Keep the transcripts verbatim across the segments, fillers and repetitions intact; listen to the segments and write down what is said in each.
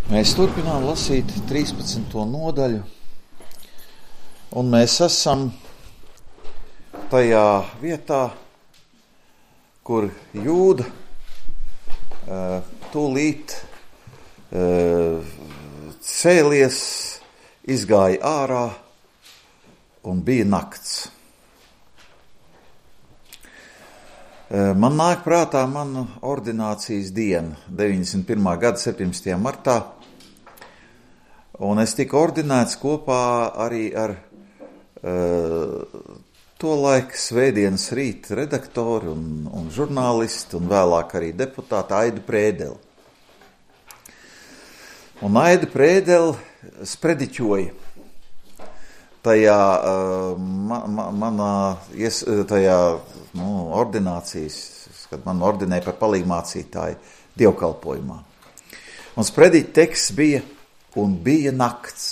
Mēs turpinām lasīt trīspadsmito nodaļu, un mēs esam tajā vietā, kur Jūda uh, tūlīt uh, cēlies, izgāja ārā un bija nakts. Uh, man nāk prātā mana ordinācijas diena, deviņdesmit pirmā gada septiņdesmitajā martā, un es tiku ordinēts kopā arī ar uh, to laiku svētdienas rīta redaktori un, un žurnālisti un vēlāk arī deputāti Aidu Prēdeli. Un Aida Prēdeli sprediķoja tajā, uh, ma, ma, manā ies, tajā nu, ordinācijas, kad man ordinēja par palīgmācītāju dievkalpojumā. Un sprediķa teksts bija un bija nakts.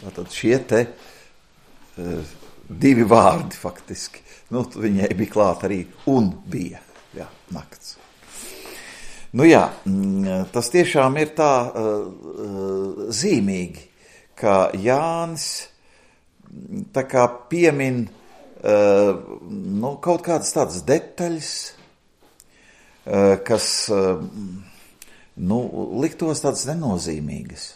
Tātad šie te uh, divi vārdi faktiski. Nu, viņai bija klāt arī un bija, jā, nakts. Nu jā, tas tiešām ir tā uh, zīmīgi, ka Jānis tā kā piemin uh, nu, kaut kādas tādas detaļas, uh, kas uh, nu, liktos tādas nenozīmīgas.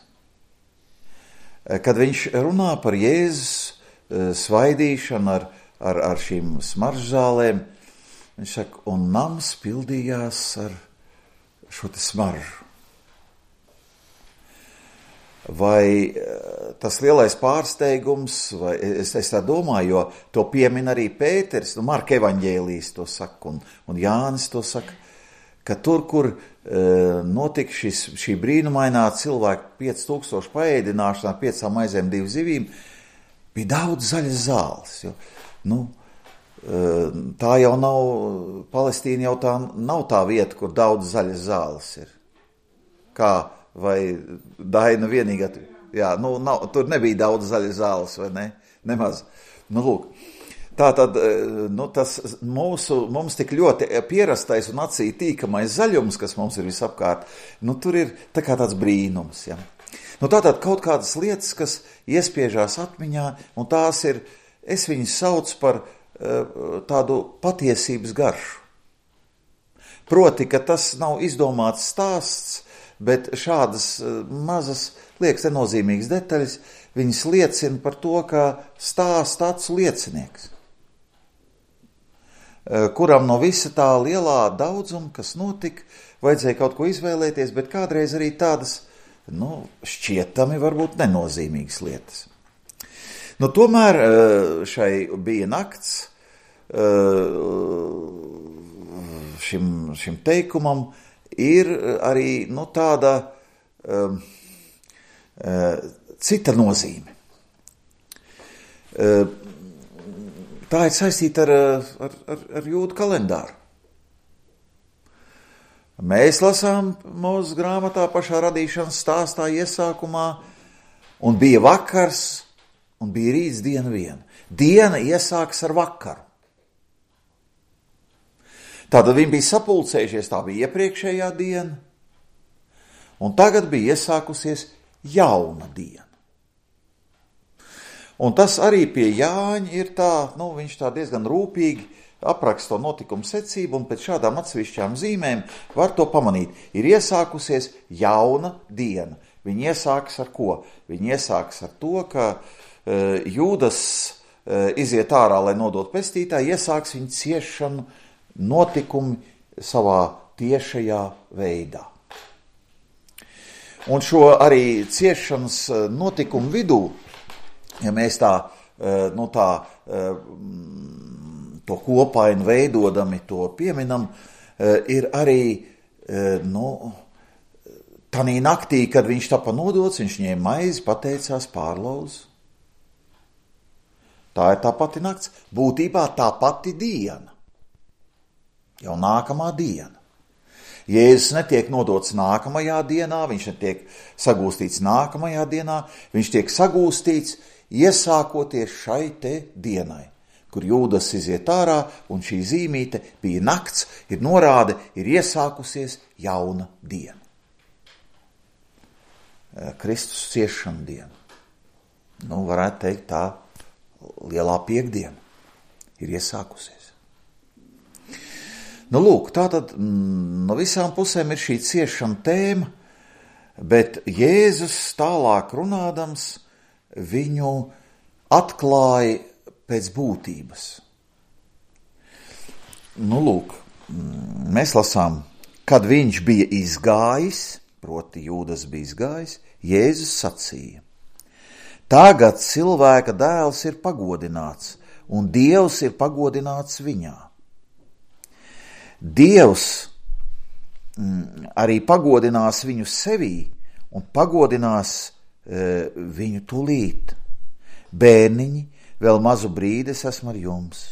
Uh, kad viņš runā par Jēzus svaidīšanu ar, ar, ar šīm smaržzālēm, viņš saka, un nams pildījās ar šo te smaržu. Vai tas lielais pārsteigums, vai es, es tā domāju, jo to piemin arī Pēteris, nu Marka evaņģēlijs to saka, un, un Jānis to saka, ka tur, kur e, notika šis, šī brīnumainā cilvēka pieci tūkstoši paēdināšanā, piecām maizēm, divu zivīm, bija daudz zaļas zāles, jo, nu, tā jau nav, Palestīna jau tā nav tā vieta, kur daudz zaļas zāles ir. Kā, vai Daina vienīgā, jā, nu, nav, tur nebija daudz zaļas zāles, vai ne? Nemaz. Nu, lūk, tā tad, nu, tas mūsu, mums tik ļoti pierastais un acī tīkamais zaļums, kas mums ir visapkārt, nu, tur ir tā kā tāds brīnums, jā. Nu, tātad kaut kādas lietas, kas iespiežās atmiņā, un tās ir, es viņus saucu par uh, tādu patiesības garšu. Proti, ka tas nav izdomāts stāsts, bet šādas uh, mazas, liekas, nenozīmīgas detaļas, viņas liecina par to, ka stāsts acu liecinieks, uh, kuram no visa tā lielā daudzuma, kas notika, vajadzēja kaut ko izvēlēties, bet kādreiz arī tādas, nu, šķietami varbūt nenozīmīgas lietas. Nu, tomēr šai bija nakts, šim, šim teikumam ir arī, nu, tāda um, cita nozīme. Tā ir saistīta ar, ar, ar, ar jūdu kalendāru. Mēs lasām mūsu grāmatā pašā radīšanas stāstā iesākumā, un bija vakars, un bija rīts diena viena. Diena iesākas ar vakaru. Tātad viņi bija sapulcējušies, tā bija iepriekšējā diena, un tagad bija iesākusies jauna diena. Un tas arī pie Jāņa ir tā, nu, viņš tā diezgan rūpīgi apraksta to notikumu secību, un pēc šādām atsevišķām zīmēm var to pamanīt. Ir iesākusies jauna diena. Viņi iesākas ar ko? Viņi iesākas ar to, ka e, Jūdas e, iziet ārā, lai nodot pestītāju, iesāks viņa ciešanu notikumi savā tiešajā veidā. Un šo arī ciešanas notikumu vidū, ja mēs tā, e, nu tā, e, to kopainu veidodami, to pieminam, ir arī, nu, tanī naktī, kad viņš tapa nodots, viņš ņēma maizi, pateicās, pārlauz. Tā ir tā pati nakts, būtībā tā pati diena, jau nākamā diena. Jēzus netiek nodots nākamajā dienā, viņš netiek sagūstīts nākamajā dienā, viņš tiek sagūstīts iesākoties šai te dienai, kur Jūdas iziet ārā, un šī zīmīte bija nakts, ir norāde, ir iesākusies jauna diena. Kristus ciešanu dienu. Nu, varētu teikt, tā lielā piekdiena ir iesākusies. Nu, lūk, tātad no visām pusēm ir šī ciešana tēma, bet Jēzus tālāk runādams viņu atklāja pēc būtības. Nu, lūk, mēs lasām, kad viņš bija izgājis, proti Jūdas bija izgājis, Jēzus sacīja: tagad cilvēka dēls ir pagodināts, un Dievs ir pagodināts viņā. Dievs mm, arī pagodinās viņu sevī un pagodinās e, viņu tūlīt. Bērniņi, vēl mazu brīdi es esmu ar jums.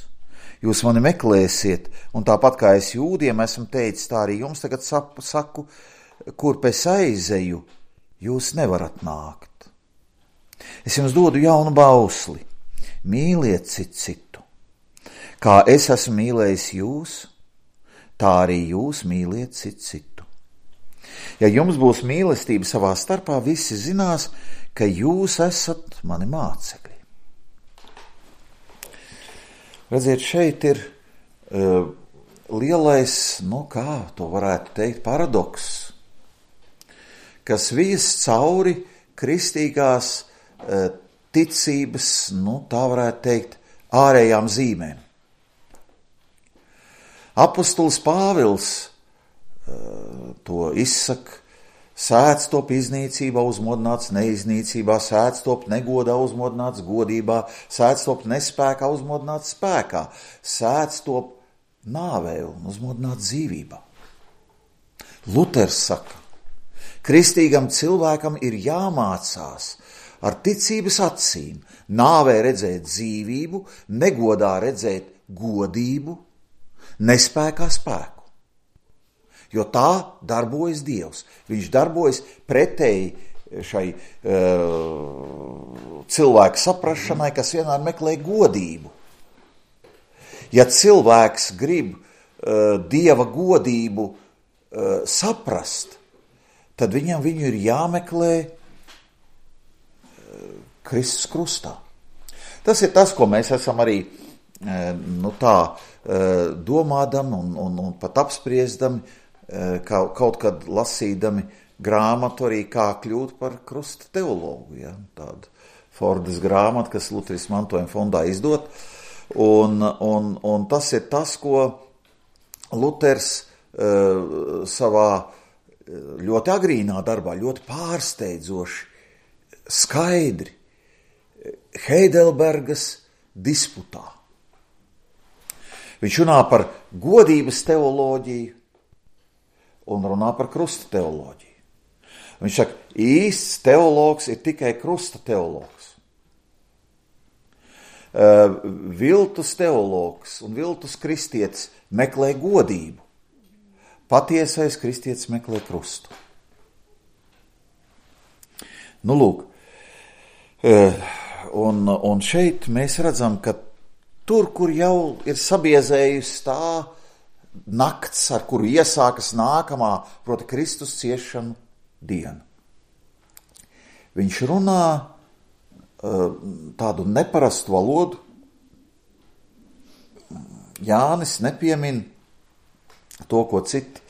Jūs mani meklēsiet, un tāpat kā es jūdiem esmu teicis, tā arī jums tagad sapu, saku, kur pēc aizeju, jūs nevarat nākt. Es jums dodu jaunu bausli, mīliet citu citu. Kā es esmu mīlējis jūs, tā arī jūs mīliet citu citu. Ja jums būs mīlestība savā starpā, visi zinās, ka jūs esat mani mācekļi. Redziet, šeit ir uh, lielais, nu kā to varētu teikt, paradoks, kas vies cauri kristīgās uh, ticības, nu tā varētu teikt, ārējām zīmēm. Apostols Pāvils uh, to izsaka: sēdz top iznīcībā, uzmodināts neiznīcībā, sēdz top negodā, uzmodināts godībā, sēdz top nespēkā, uzmodināts spēkā, sēdz top nāvē un uzmodināts dzīvībā. Luters saka, kristīgam cilvēkam ir jāmācās ar ticības acīm, nāvē redzēt dzīvību, negodā redzēt godību, nespēkā spēku. Jo tā darbojas Dievs. Viņš darbojas pretēji šai uh, cilvēka saprašanai, kas vienmēr meklē godību. Ja cilvēks grib uh, Dieva godību uh, saprast, tad viņam viņu ir jāmeklē uh, Kristus krustā. Tas ir tas, ko mēs esam arī uh, nu tā uh, domādam un, un, un pat apspriesdami, kaut kad lasīdami grāmatu arī kā kļūt par krusta teologu. Ja? Tāda Fordas grāmata, kas Lutheras mantojuma fondā izdot. Un, un, un tas ir tas, ko Luters uh, savā ļoti agrīnā darbā, ļoti pārsteidzoši, skaidri Heidelbergas disputā. Viņš runā par godības teoloģiju un runā par krusta teoloģiju. Viņš saka, īsts teologs ir tikai krusta teologs. Uh, viltus teologs un viltus kristietis meklē godību. Patiesais kristietis meklē krustu. Nu, lūk, uh, un, un šeit mēs redzam, ka tur, kur jau ir sabiezējusi tā nakts, ar kuru iesākas nākamā, proti Kristus ciešanu diena. Viņš runā uh, tādu neparastu valodu. Jānis nepiemin to, ko citi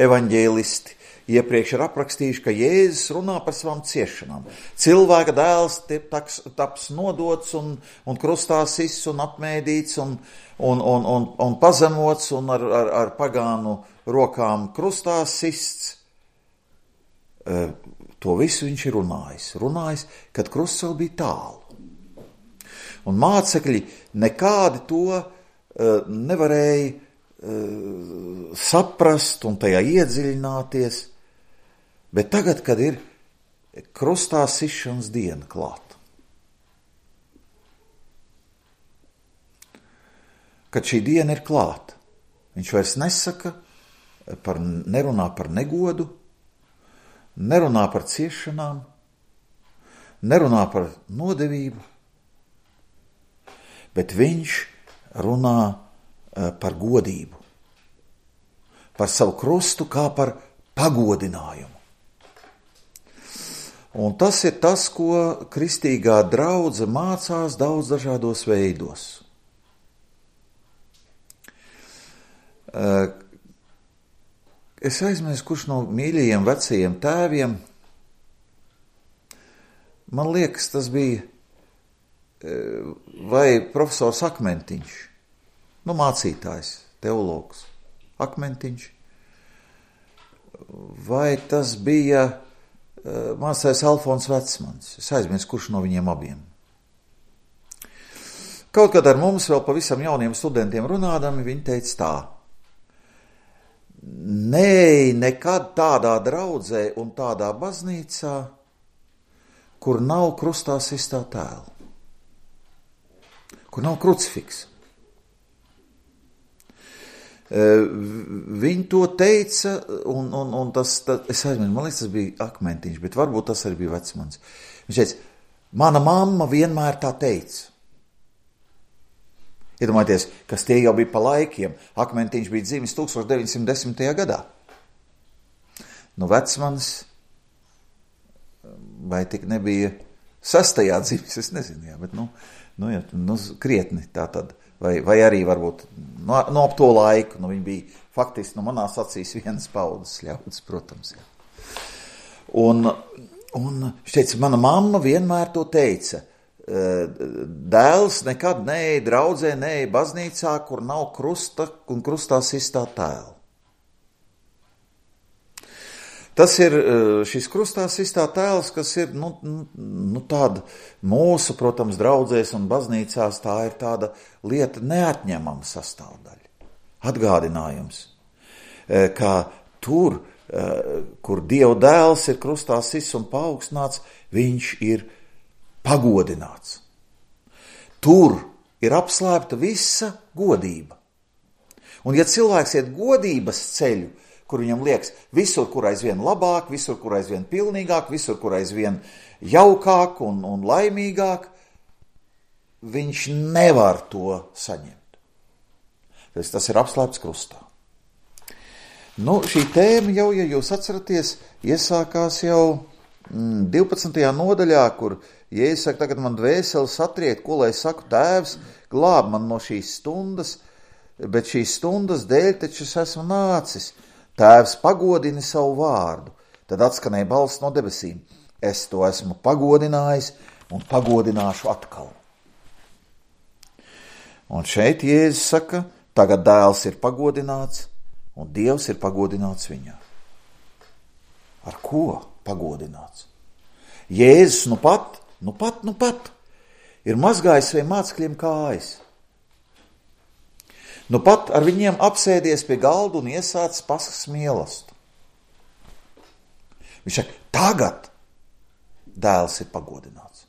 evaņģēlisti iepriekš ir aprakstījuši, ka Jēzus runā par savām ciešanām. Cilvēka dēls taps, taps nodots un, un krustā sists un apmēdīts un Un, un, un, un pazemots un ar, ar, ar pagānu rokām krustā sists. E, to visu viņš ir runājis. Runājis, kad krusts vēl bija tālu. Un mācekļi nekādi to e, nevarēja e, saprast un tajā iedziļināties. Bet tagad, kad ir krustā sišanas diena klāt, kad šī diena ir klāta, viņš vairs nesaka, par, nerunā par negodu, nerunā par ciešanām, nerunā par nodevību, bet viņš runā par godību, par savu krustu kā par pagodinājumu. Un tas ir tas, ko kristīgā draudze mācās daudz dažādos veidos. Es aizmirsu, kurš no mīļajiem vecajiem tēviem, man liekas, tas bija vai profesors Akmentiņš, nu mācītājs, teologs Akmentiņš, vai tas bija mācītājs Alfons Vecmans. Es aizmirsu, kurš no viņiem abiem. Kaut kad ar mums vēl pavisam jauniem studentiem runādami, viņi teica tā: Nē, nekad tādā draudzē un tādā baznīcā, kur nav krustā sistā tēla, kur nav krucifiksa. Viņi to teica, un, un, un tas, tas, es aizmirsu, man liekas, tas bija Akmentiņš, bet varbūt tas arī bija Vecmans. Viņš teica, mana mamma vienmēr tā teica. Iedomājieties, kas tie jau bija pa laikiem. Akmentiņš bija dzimis tūkstoš deviņi simti desmitajā gadā. Nu, Vecmans, vai tik nebija sastajā dzimis, es nezinu, jā, bet nu, nu, jā, nu krietni tā tad. Vai, vai arī varbūt no, no ap to laiku, nu viņi bija faktiski, nu manās acīs vienas paudzes ļauds, protams. Jā. Un, un viņš teica, mana mamma vienmēr to teica, dēls nekad neej draudzē, neej baznīcā, kur nav krusta un krustā sistā tēla. Tas ir šis krustā sistā tēls, kas ir, nu, nu tāda mūsu, protams, draudzēs un baznīcās, tā ir tāda lieta neatņemama sastāvdaļa. Atgādinājums, ka tur, kur Dieva dēls ir krustā sists un paaugstināts, viņš ir pagodināts. Tur ir apslēpta visa godība. Un ja cilvēks iet godības ceļu, kur viņam liekas, visur, kur aizvien labāk, visur, kur aizvien pilnīgāk, visur, kur aizvien jaukāk un, un laimīgāk, viņš nevar to saņemt. Tas, tas ir apslēpts krustā. Nu, šī tēma jau, ja jūs atceraties, iesākās jau mm, divpadsmitajā nodaļā, kur Jēzus saka, tagad man dvēseli satriekt, ko lai saku, Tēvs, glāb man no šīs stundas, bet šīs stundas dēļ taču es esmu nācis. Tēvs pagodini savu vārdu, tad atskanēja balss no debesīm. Es to esmu pagodinājis un pagodināšu atkal. Un šeit Jēzus saka, tagad dēls ir pagodināts un Dievs ir pagodināts viņā. Ar ko pagodināts? Jēzus nu pat, nu pat, nu pat ir mazgājis saviem mācekļiem kājas. Nu pat ar viņiem apsēdies pie galda un iesācis paskas mīlestību. Viņš saka, tagad dēls ir pagodināts.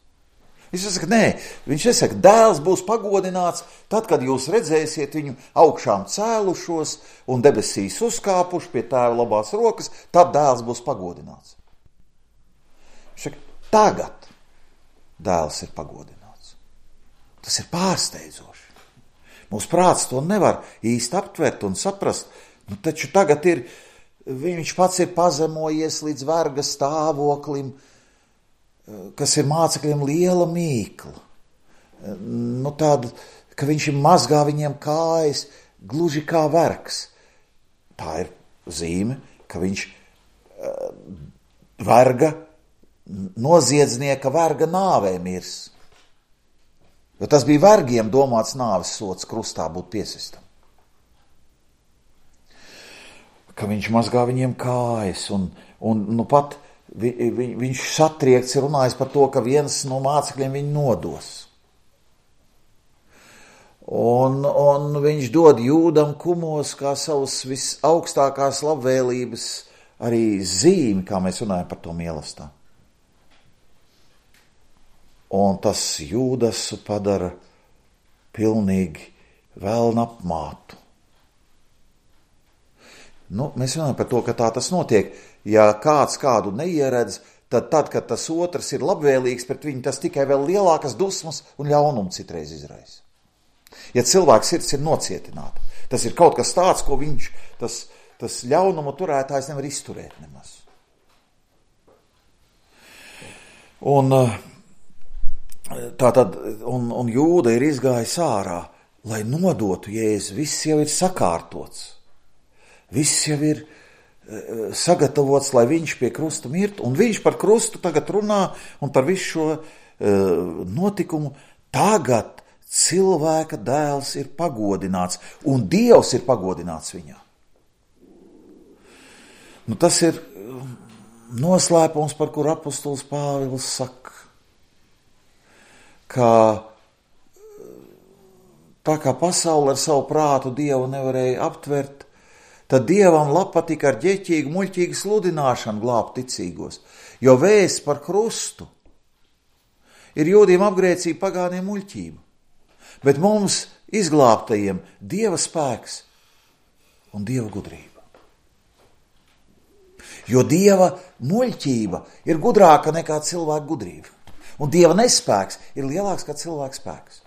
Viņš saka, nē, viņš nesaka, dēls būs pagodināts tad, kad jūs redzēsiet viņu augšām cēlušos un debesīs uzkāpuši pie tēva labās rokas, tad dēls būs pagodināts. Viņš saka, tagad dēls ir pagodināts. Tas ir pārsteidzoši. Mūsu prāts to nevar īsti aptvert un saprast, nu taču tagad ir, viņš pats ir pazemojies līdz verga stāvoklim, kas ir mācekļiem liela mīkla. Nu tāda, ka viņš ir mazgā viņiem kājas, gluži kā vergs. Tā ir zīme, ka viņš verga, noziedznieka verga nāvē mirs. Jo tas bija vergiem domāts nāves sots krustā būt piesistam. Ka viņš mazgā viņiem kājas un, un nu pat vi, vi, viņš satriekts ir runājis par to, ka viens no mācekļiem viņu nodos. Un, un viņš dod Jūdam kumos kā savus visaugstākās labvēlības arī zīmi, kā mēs runājam par to mīlestību. Un tas Jūdasu padara pilnīgi velna apmātu. Nu, mēs runājam par to, ka tā tas notiek. Ja kāds kādu neieredz, tad tad, kad tas otrs ir labvēlīgs pret viņu, tas tikai vēl lielākas dusmas un ļaunumu citreiz izraisa. Ja cilvēks sirds ir nocietināta, tas ir kaut kas tāds, ko viņš, tas, tas ļaunumu turētājs nevar izturēt nemaz. Un tā tad, un, un Jūda ir izgājis ārā, lai nodotu Jēzu. Viss jau ir sakārtots. Viss jau ir sagatavots, lai viņš pie krusta mirtu. Un viņš par krustu tagad runā un par visu šo uh, notikumu. Tagad cilvēka dēls ir pagodināts un Dievs ir pagodināts viņā. Nu, tas ir noslēpums, par kur apostols Pāvils saka, ka tā kā pasaule ar savu prātu Dievu nevarēja aptvert, tad Dievam patika ar ģeķīgu, muļķīgu sludināšanu glābt ticīgos, jo vēsts par krustu ir jūdiem apgrēcība, pagāniem muļķība, bet mums izglābtajiem Dieva spēks un Dieva gudrība. Jo Dieva muļķība ir gudrāka nekā cilvēka gudrība. Un Dieva nespēks ir lielāks kā cilvēka spēks.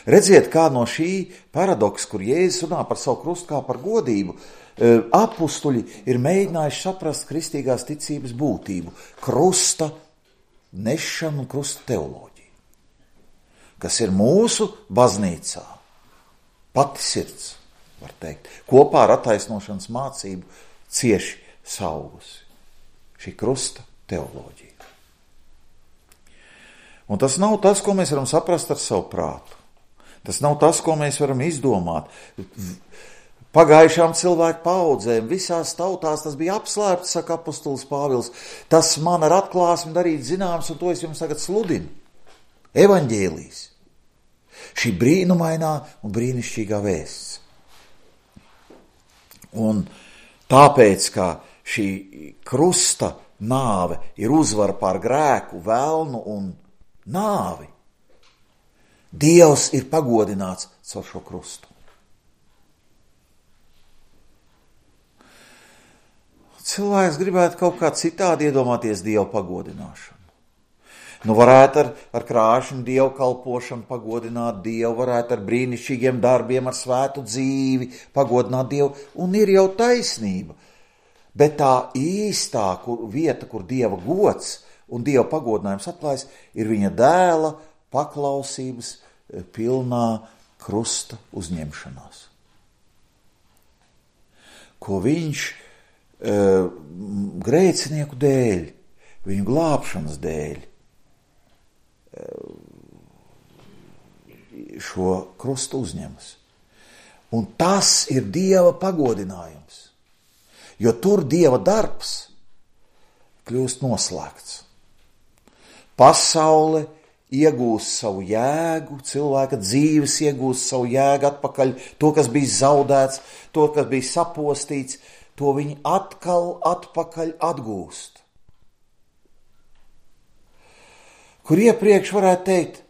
Redziet, kā no šī paradoksa, kur Jēzus runā par savu krustu kā par godību, apustuļi ir mēģinājuši saprast kristīgās ticības būtību, krusta nešanu un krusta teoloģiju, kas ir mūsu baznīcā pati sirds, var teikt, kopā ar attaisnošanas mācību cieši saugusi šī krusta teoloģija. Un tas nav tas, ko mēs varam saprast ar savu prātu. Tas nav tas, ko mēs varam izdomāt. Pagājušām cilvēku paudzēm, visās tautās tas bija apslēpts, saka apostols Pāvils. Tas man ar atklāsmi darīt zināms, un to es jums tagad sludinu. Evaņģēlijs. Šī brīnumainā un brīnišķīgā vēsts. Un tāpēc, ka šī krusta nāve ir uzvara pār grēku, velnu un nāvi, Dievs ir pagodināts caur šo krustu. Cilvēks gribētu kaut kā citādi iedomāties Dievu pagodināšanu. Nu, varētu ar, ar krāšņu Dievu kalpošanu pagodināt Dievu, varētu ar brīnišķīgiem darbiem, ar svētu dzīvi pagodināt Dievu, un ir jau taisnība. Bet tā īstā kur, vieta, kur Dieva gods un Dieva pagodinājums atklājas, ir viņa dēla paklausības pilnā krusta uzņemšanās. Ko viņš e, grēcinieku dēļ, viņu glābšanas dēļ, e, šo krustu uzņemas. Un tas ir Dieva pagodinājums, jo tur Dieva darbs kļūst noslēgts. Pasaule iegūst savu jēgu, cilvēka dzīves iegūst savu jēgu atpakaļ, to, kas bija zaudēts, to, kas bija sapostīts, to viņi atkal atpakaļ atgūst. Kur iepriekš varētu teikt,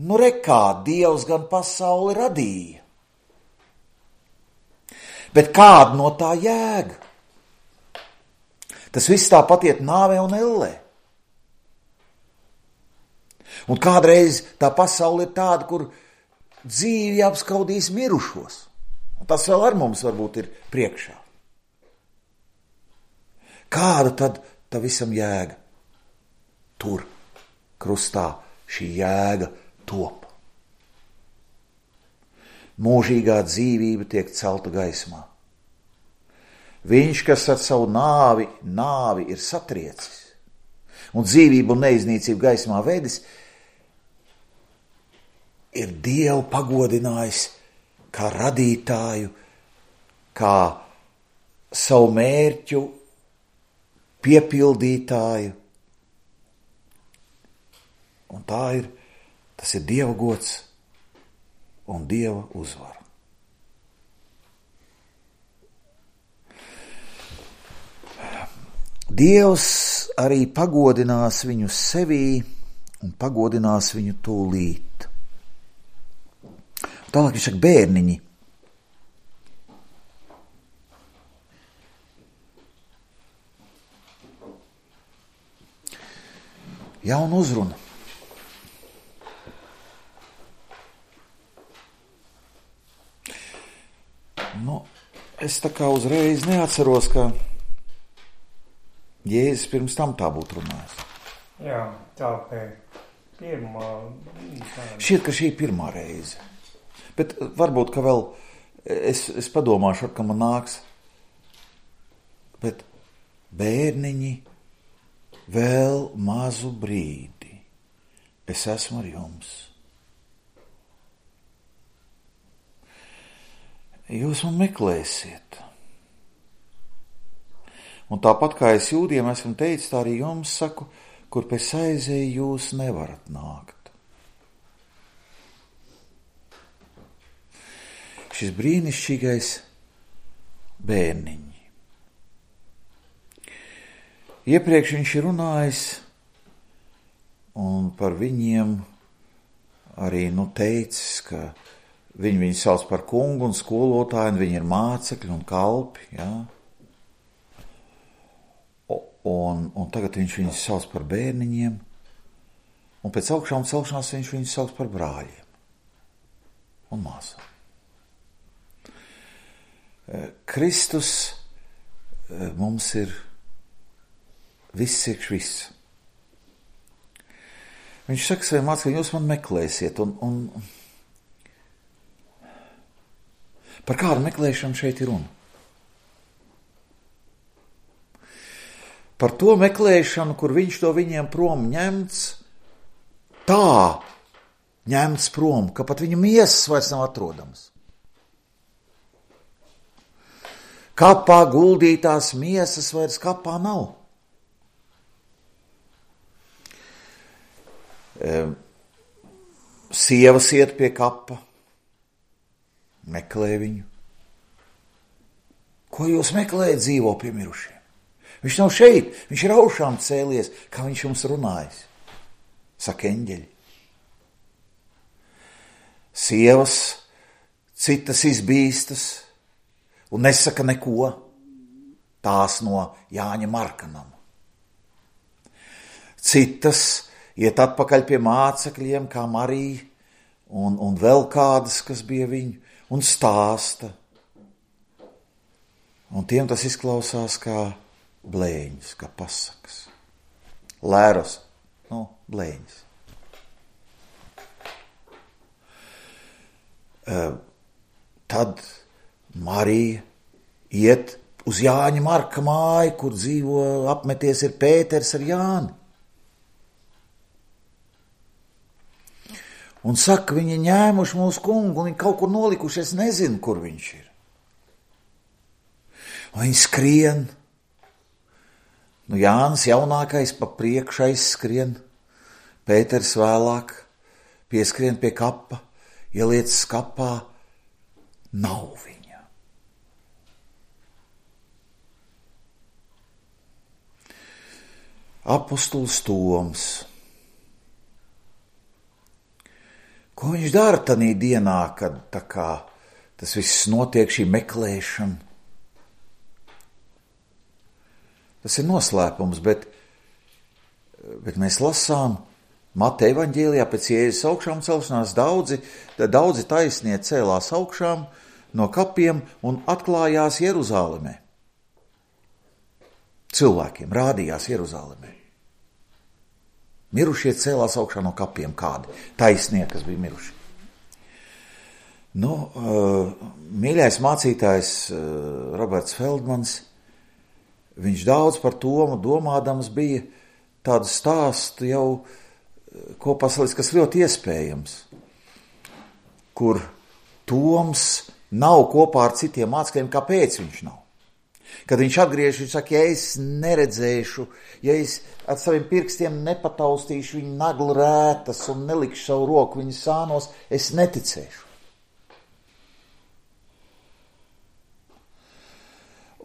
nu rekā, Dievs gan pasauli radīja, bet kāda no tā jēga? Tas viss tāpat iet nāvē un ellē. Un kādreiz tā pasaule ir tāda, kur dzīvi apskaudīs mirušos. Un tas vēl ar mums varbūt ir priekšā. Kāda tad tā visam jēga? Tur, krustā, šī jēga top. Mūžīgā dzīvība tiek celta gaismā. Viņš, kas ar savu nāvi, nāvi ir satriecis un dzīvību un neiznīcību gaismā vedis, ir Dievu pagodinājis kā radītāju, kā savu mērķu piepildītāju. Un tā ir, tas ir Dieva gods un Dieva uzvara. Dievs arī pagodinās viņu sevī un pagodinās viņu tūlīt. Tālāk viņš saka, bērniņi. Jauna uzruna. Nu, es tā kā uzreiz neatceros, ka Jēzus pirms tam tā būtu runājis. Jā, tā pie pirmā. Šķiet, ka šī ir pirmā reize. Bet varbūt, ka vēl es, es padomāšu, ka man nāks. Bet bērniņi, vēl mazu brīdi es esmu ar jums. Jūs man meklēsiet. Un tāpat kā es jūdiem esmu teicis, tā arī jums saku, kur pēc aizēju jūs nevarat nākt. Šis brīnišķīgais bērniņi. Iepriekš viņš ir runājis un par viņiem arī nu teicis, ka viņi viņu sauc par kungu un skolotāju, un viņi ir mācekļi un kalpi, jā. Un, un tagad viņš viņus sauc par bērniņiem, un pēc augšām celšanās viņš viņus sauc par brāļiem un māsām. Kristus mums ir viss iekš viss. Viņš saka saviem mācekļiem, jūs man meklēsiet, un, un par kādu meklēšanu šeit ir runa? Par to meklēšanu, kur viņš to viņiem prom ņemts, tā ņemts prom, ka pat viņa miesas vairs nav atrodams. Kapā guldītās miesas vairs kapā nav. Sievas iet pie kapa, meklē viņu. Ko jūs meklējat, dzīvo pie mirušiem? Viņš nav šeit, viņš ir augšām cēlies, kā viņš jums runājis, saka eņģeļi. Sievas, citas izbīstas un nesaka neko, tās no Jāņa Markanam. Citas iet atpakaļ pie mācekļiem, kā Marija, un, un vēl kādas, kas bija viņu, un stāsta. Un tiem tas izklausās kā blēņas, kā pasakas. Lēros, nu, blēņas. Uh, tad Marija iet uz Jāņa Marka māju, kur dzīvo apmeties ir Pēters ar Jāni. Un saka, viņi ņēmuši mūsu kungu, un viņi kaut kur nolikuši, es nezinu, kur viņš ir. Un viņi skrien. Nu, Jānis jaunākais pa priekšu aizskrien, Pēters vēlāk pieskrien pie kapa, ieliec skapā, nav viņa. Apostols Toms. Ko viņš dara tanī dienā, kad tā kā tas viss notiek, šī meklēšana? Tas ir noslēpums, bet, bet mēs lasām Mateja evaņģēlijā pēc Jēzus augšām celšanās daudzi, daudzi taisnie cēlās augšām no kapiem un atklājās Jeruzālemē. Cilvēkiem rādījās Jeruzālemē. Mirušie cēlās augšā no kapiem kādi, taisnie, kas bija miruši. Nu, mīļais mācītājs Roberts Feldmans, viņš daudz par Tomu domādams bija tādu stāstu jau kopā salicis, kas ļoti iespējams, kur Toms nav kopā ar citiem mācekļiem, kāpēc viņš nav. Kad viņš atgriež, viņš saka, ja es neredzēšu, ja es ar saviem pirkstiem nepataustīšu viņu naglu rētas un nelikšu savu roku viņu sānos, es neticēšu.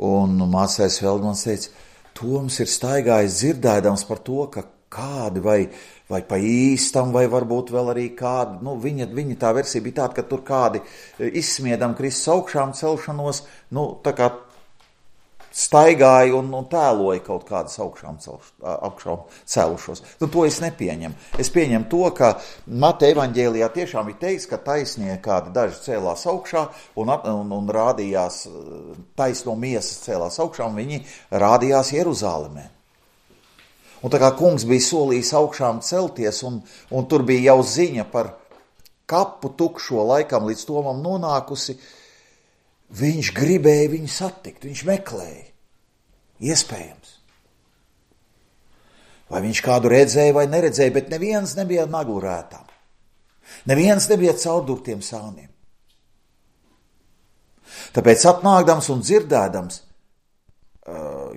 Un mācājs Feldmans teica, Toms ir staigājis dzirdēdams par to, ka kādi vai, vai pa īstam, vai varbūt vēl arī kādi, nu viņa, viņa tā versija bija tāda, ka tur kādi izsmiedam Kristus augšām celšanos, nu tā kā staigāja un, un tēloja kaut kādas augšām, celš, augšām celušos. Nu, to es nepieņemu. Es pieņemu to, ka Mateja evaņģēlijā tiešām ir teikts, ka taisnie kādi daži cēlās augšā un, un, un rādījās, taisno miesas cēlās augšā un viņi rādījās Jeruzālemē. Un tā kā kungs bija solījis augšām celties, un, un tur bija jau ziņa par kapu tukšo laikam līdz Tomam nonākusi, viņš gribēja viņu satikt, viņš meklēja. Iespējams. Vai viņš kādu redzēja vai neredzēja, bet neviens nebija naglu rētām. Neviens nebija caurdurtiem sāniem. Tāpēc atnākdams un dzirdēdams,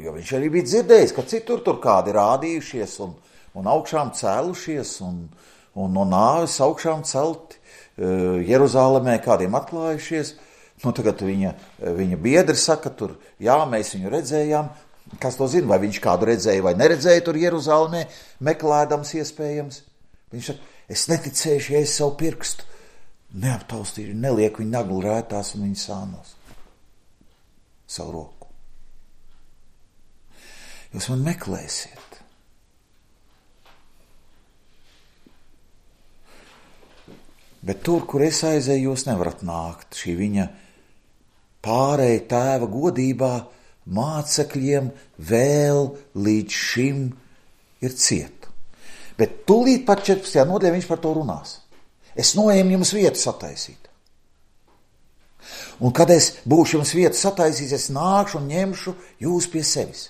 jo viņš arī bija dzirdējis, ka citur tur kādi rādījušies un, un augšām cēlušies un, un no nāves augšām celti, Jeruzālēmē kādiem atklājušies. Nu, tagad viņa, viņa biedri saka, tur, jā, mēs viņu redzējām. Kas to zina, vai viņš kādu redzēja vai neredzēja tur Jeruzālēmē, meklēdams iespējams. Viņš saka, es neticēšu, ja es savu pirkstu neaptaustīšu, nelieku viņu naglu rētās un viņu sānos. Savu roku. Jūs man meklēsiet. Bet tur, kur es aizēju, jūs nevarat nākt. Šī viņa pārēja tēva godībā mācekļiem vēl līdz šim ir cieta. Bet tūlīt pat četrpadsmitajā nodaļā viņš par to runās. Es noēmu jums vietu sataisīt. Un kad es būšu jums vietu sataisīt, es nākšu un ņemšu jūs pie sevis.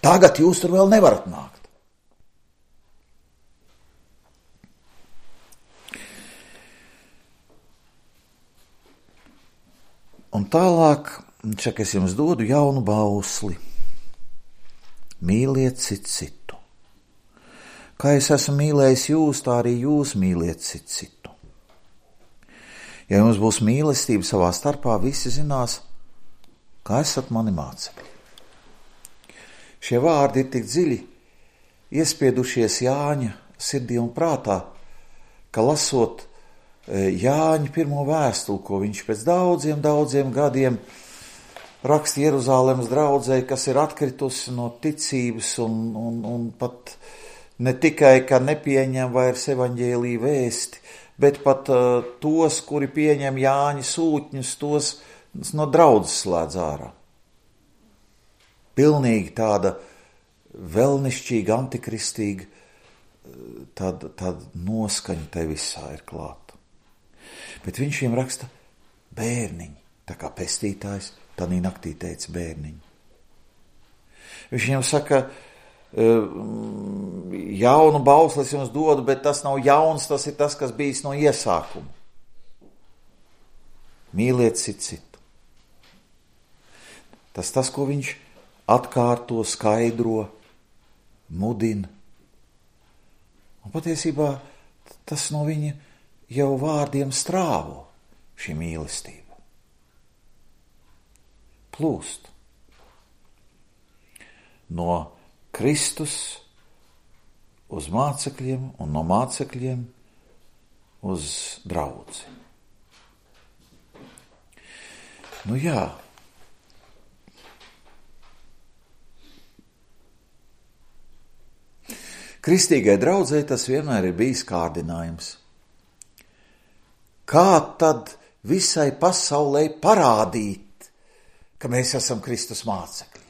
Tagad jūs tur vēl nevarat nākt. Un tālāk, čak es jums dodu jaunu bausli. Mīliet citu citu. Kā es esmu mīlējis jūs, tā arī jūs mīliet citu citu. Ja jums būs mīlestība savā starpā, visi zinās, kā esat mani mācekļi. Šie vārdi ir tik dziļi iespiedušies Jāņa sirdī un prātā, ka lasot Jāņa pirmo vēstuli, ko viņš pēc daudziem, daudziem gadiem raksta Jeruzālēmas draudzei, kas ir atkritusi no ticības un, un, un pat ne tikai, ka nepieņem vairs evaņģēliju vēsti, bet pat uh, tos, kuri pieņem Jāņa sūtņus, tos no draudzes slēdz ārā. Pilnīgi tāda velnišķīga, antikristīga, tāda, tāda noskaņa te visā ir klāta. Bet viņš viņam raksta bērniņi, tā kā pestītājs, tanī naktī teica bērniņi. Viņš viņam saka, jaunu bausli es jums dodu, bet tas nav jauns, tas ir tas, kas bijis no iesākuma. Mīliet citu citu. Tas tas, ko viņš atkārto, skaidro, mudina. Un patiesībā tas no viņa jau vārdiem strāvo šī mīlestība. Plūst no Kristus uz mācekļiem un no mācekļiem uz draudzi. Nu jā. Kristīgai draudzei tas vienmēr ir bijis kārdinājums. Kā tad visai pasaulē parādīt, ka mēs esam Kristus mācekļi?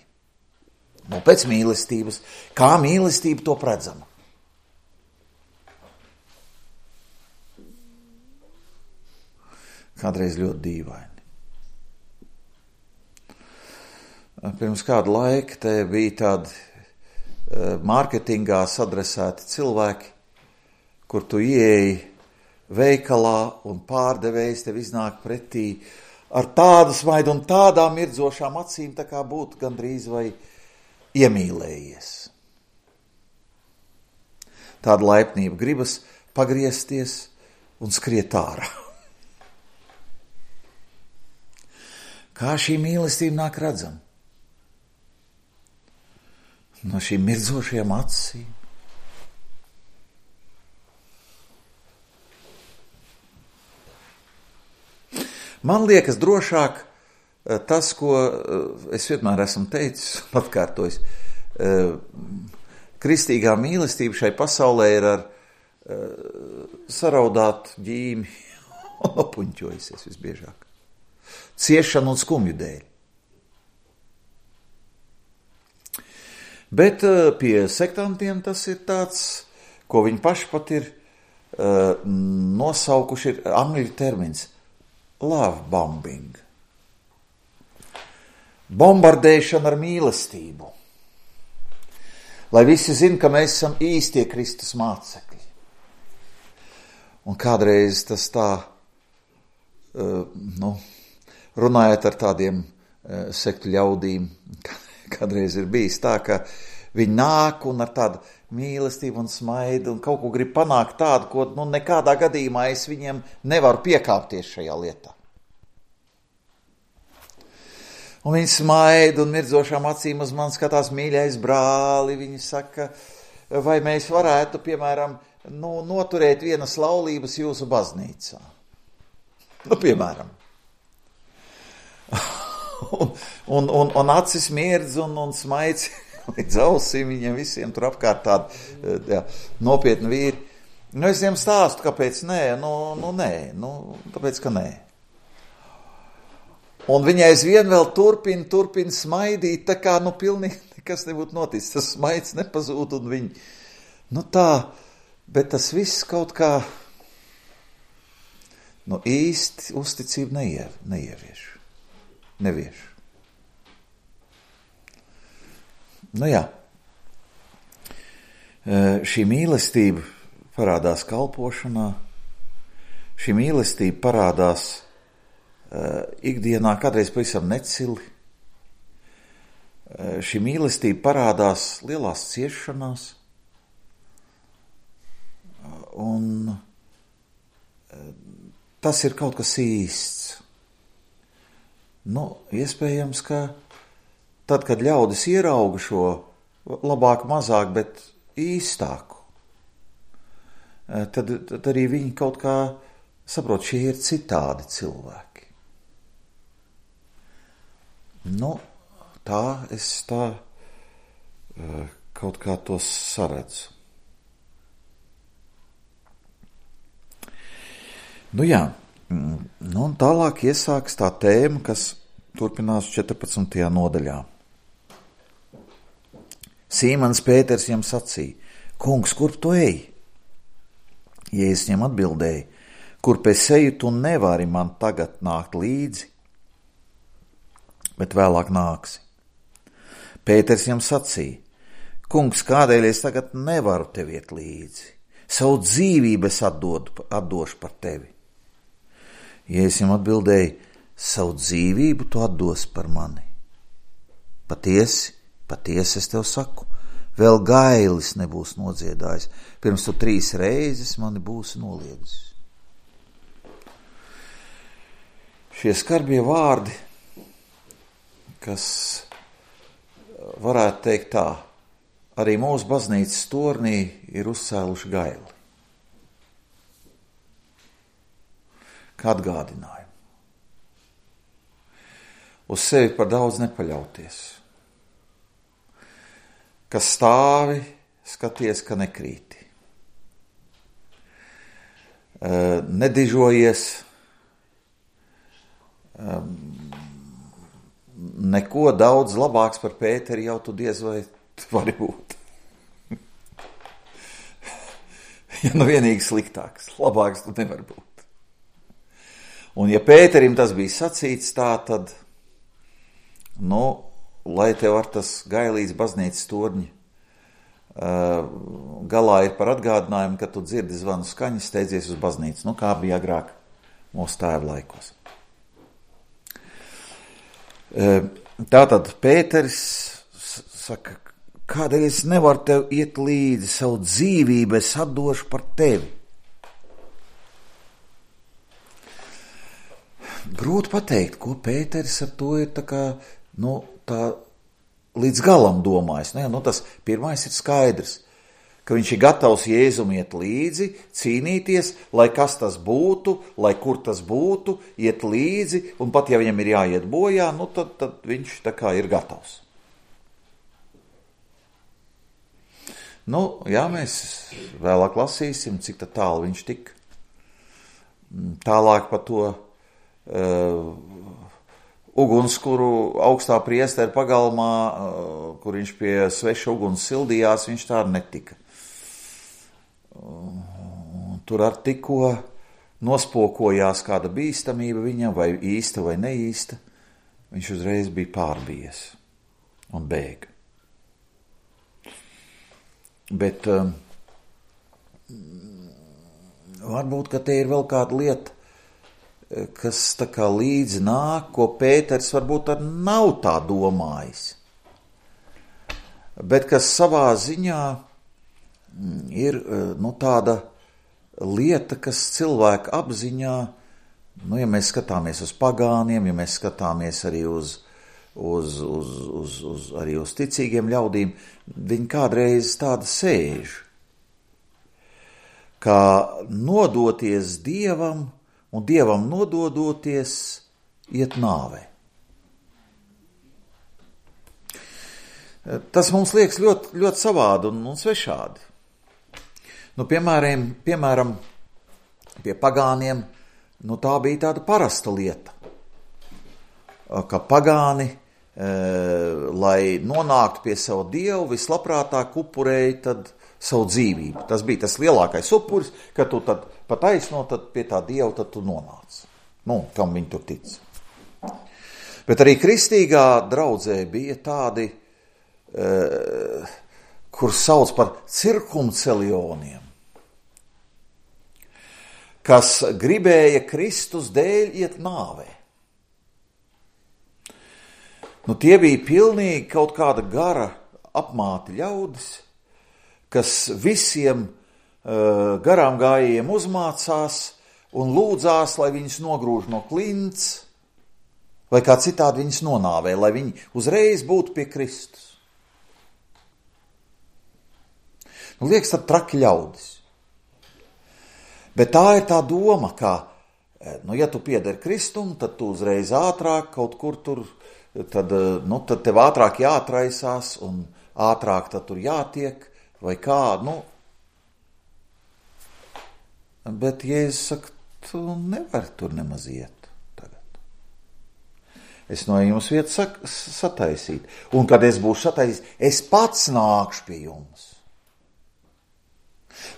Nu, pēc mīlestības. Kā mīlestība to redzama? Kādreiz ļoti dīvaini. Pirms kādu laiku te bija tādi mārketingā sadresēti cilvēki, kur tu ieeji veikalā un pārdevējs tev iznāk pretī ar tādu smaidu un tādām mirdzošām acīm, tā kā būtu gandrīz vai iemīlējies. Tāda laipnība gribas pagriezties un skriet ārā. Kā šī mīlestība nāk redzama? No šīm mirdzošajām acīm. Man liekas drošāk tas, ko es vienmēr esmu teicis un atkārtojis. Kristīgā mīlestība šai pasaulē ir ar saraudāt ģīmi un nopuņķojusies visbiežāk. Ciešanu un skumju dēļ. Bet uh, pie sektantiem tas ir tāds, ko viņi paši pat ir uh, nosaukuši, ir angļu termins love bombing. Bombardēšana ar mīlestību. Lai visi zin, ka mēs esam īstie Kristus mācekļi. Un kādreiz tas tā, uh, nu, runājot ar tādiem uh, sektu ļaudīm, kādreiz ir bijis tā, ka viņi nāk un ar tādu mīlestību un smaidu un kaut ko grib panākt tādu, ko nu, nekādā gadījumā es viņiem nevaru piekāpties šajā lietā. Un viņi smaida un mirdzošām acīm uz mani skatās mīļais brāli. Viņi saka, vai mēs varētu, piemēram, nu, noturēt vienas laulības jūsu baznīcā. Nu, piemēram. un, un, un, un acis mirdz un, un smaids līdz ausīm viņiem visiem tur apkārt tādi jā, nopietni vīri. Nu, es viņiem stāstu, kāpēc nē, nu, nu nē, nu, tāpēc, ka nē. Un viņa aizvien vēl turpina, turpina smaidīt, tā kā, nu, pilnīgi nekas nebūtu noticis. Tas smaids nepazūd un viņi, nu tā, bet tas viss kaut kā, nu, īsti uzticību neie, neievieš, nevieš. Nu jā, šī mīlestība parādās kalpošanā, šī mīlestība parādās uh, ikdienā, kādreiz pavisam necili, uh, šī mīlestība parādās lielās ciešanās, uh, un uh, tas ir kaut kas īsts. Nu, iespējams, ka tad, kad ļaudis ierauga šo labāk, mazāk, bet īstāku, tad, tad arī viņi kaut kā saprot, šie ir citādi cilvēki. Nu, tā es tā kaut kā tos saredzu. Nu jā, nu un tālāk iesāks tā tēma, kas turpinās četrpadsmitajā nodaļā. Sīmons Pēters viņam sacīja, kungs, kur tu ej? Jēzus viņam atbildēja, kur pēc eju tu nevari man tagad nākt līdzi, bet vēlāk nāksi. Pēters viņam sacīja, kungs, kādēļ es tagad nevaru tev iet līdzi? Savu dzīvību es atdodu, atdošu par tevi. Jēzus viņam atbildēja, savu dzīvību tu atdos par mani. Patiesi, patiesi es tev saku, vēl gailis nebūs nodziedājis, pirms tu trīs reizes mani būsi noliedzis. Šie skarbie vārdi, kas varētu teikt tā, arī mūsu baznīcas tornī ir uzcēluši gaili. Kā atgādinājumu. Uz sevi par daudz nepaļauties. Kas stāvi, skaties, ka nekrīti. Nedižojies, neko daudz labāks par Pēteri jau tu diez vai vari būt. Ja nu vienīgi sliktāks, labāks tu nevar būt. Un ja Pēterim tas bija sacīts tā, tad, nu, lai tev ar tas gailīts baznīcas torņi uh, galā ir par atgādinājumu, ka tu dzirdi zvanu skaņu, steidzies uz baznīcu, nu, kā bija agrāk mūsu tēva laikos. Uh, tātad Pēteris saka, kādēļ es nevaru tev iet līdzi, savu dzīvību es atdošu par tevi. Grūti pateikt, ko Pēteris ar to ir tā kā, nu, tā līdz galam domājis. Nu, jā, nu, tas pirmais ir skaidrs, ka viņš ir gatavs Jēzum iet līdzi, cīnīties, lai kas tas būtu, lai kur tas būtu, iet līdzi, un pat ja viņam ir jāiet bojā, nu, tad, tad viņš tā kā ir gatavs. Nu, jā, mēs vēlāk lasīsim, cik tā tālu viņš tik. Tālāk par to Uh, ugunskuru augstā priestera pagalmā, kur viņš pie sveša uguns sildījās, viņš tā netika. Tur ar tikko nospokojās kāda bīstamība viņam, vai īsta vai neīsta, viņš uzreiz bija pārbies un bēga. Bet um, varbūt, ka te ir vēl kāda lieta, kas tā kā līdzi nāk, ko Pēters varbūt ar nav tā domājis, bet kas savā ziņā ir nu, tāda lieta, kas cilvēka apziņā, nu, ja mēs skatāmies uz pagāniem, ja mēs skatāmies arī uz, uz, uz, uz, uz, arī uz ticīgiem ļaudīm, viņi kādreiz tāda sēž, kā nodoties Dievam, un Dievam nododoties iet nāvē. Tas mums liekas ļoti, ļoti savādi un, un svešādi. Nu, piemēram, piemēram, pie pagāniem, nu, tā bija tāda parasta lieta, ka pagāni, e, lai nonāktu pie savu Dievu, vislabprātāk upurēja tad savu dzīvību. Tas bija tas lielākais upuris, ka tu tad pa taisno, tad pie tā Dieva tad tu nonāc. Nu, kam viņi tur tic. Bet arī kristīgā draudzē bija tādi, e, kur sauc par cirkumcelioniem, kas gribēja Kristus dēļ iet nāvē. Nu, tie bija pilnīgi kaut kāda gara apmāti ļaudis, kas visiem uh, garām gājējiem uzmācās un lūdzās, lai viņus nogrūž no klints, vai kā citādi viņus nonāvē, lai viņi uzreiz būtu pie Kristus. Nu, liekas, tad traki ļaudis. Bet tā ir tā doma, ka, nu, ja tu piederi Kristum, tad tu uzreiz ātrāk kaut kur tur, tad, nu, tad tev ātrāk jāatraisās un ātrāk tad tur jātiek, vai kā, nu. Bet Jēzus saka, tu nevari tur nemaz iet tagad. Es no jums vietu sak- sataisīt. Un kad es būšu sataisīt, es pats nākšu pie jums.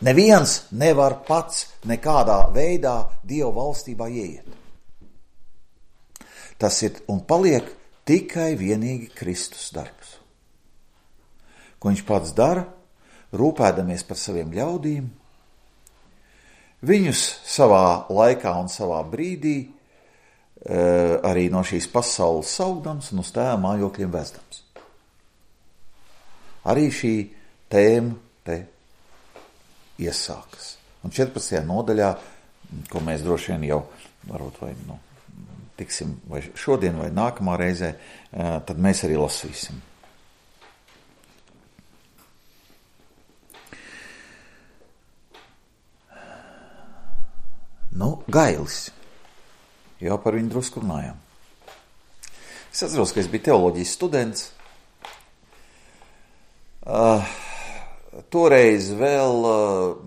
Neviens nevar pats nekādā veidā Dieva valstībā ieiet. Tas ir un paliek tikai vienīgi Kristus darbs. Ko viņš pats dara, rūpēdamies par saviem ļaudīm, viņus savā laikā un savā brīdī e, arī no šīs pasaules saugdams un uz tēva mājokļiem vezdams. Arī šī tēma te iesākas. Un četrpadsmitajā nodaļā, ko mēs droši vien jau varbūt vai nu, tiksim vai šodien vai nākamā reizē, tad mēs arī lasīsim. Nu, Gailis. Jau par viņu drusku runājām. Es atceros, ka es biju teoloģijas students. Uh, Toreiz vēl uh,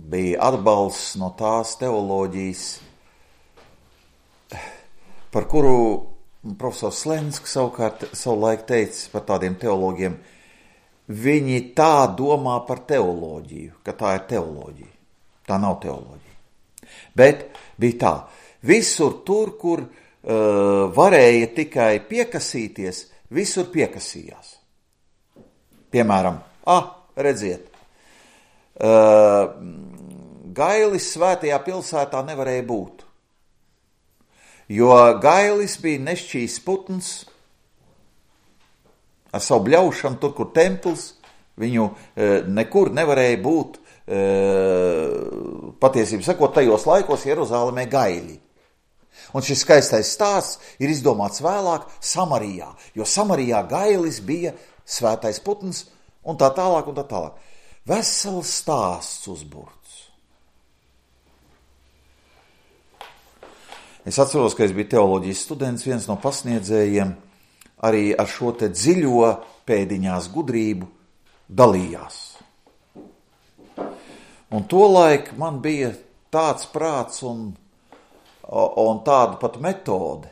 bija atbalsts no tās teoloģijas, par kuru profesors Slenska savukārt savulaik teica par tādiem teologiem, viņi tā domā par teoloģiju, ka tā ir teoloģija. Tā nav teoloģija. Bet bija tā, visur tur, kur uh, varēja tikai piekasīties, visur piekasījās. Piemēram, ah, redziet, uh, Gailis svētajā pilsētā nevarēja būt, jo Gailis bija nešķīs putns ar savu bļaušanu, tur, kur templis, viņu uh, nekur nevarēja būt, uh, patiesībā sakot, tajos laikos Jeruzālēmē gaļi. Un šis skaistais stāsts ir izdomāts vēlāk Samarijā, jo Samarijā Gailis bija svētais putns, un tā tālāk, un tā tālāk. Vesels stāsts uzburts. Es atceros, ka es biju teoloģijas students, viens no pasniedzējiem arī ar šo te dziļo pēdiņās gudrību dalījās. Un tolaik man bija tāds prāts un, un tāda pat metode,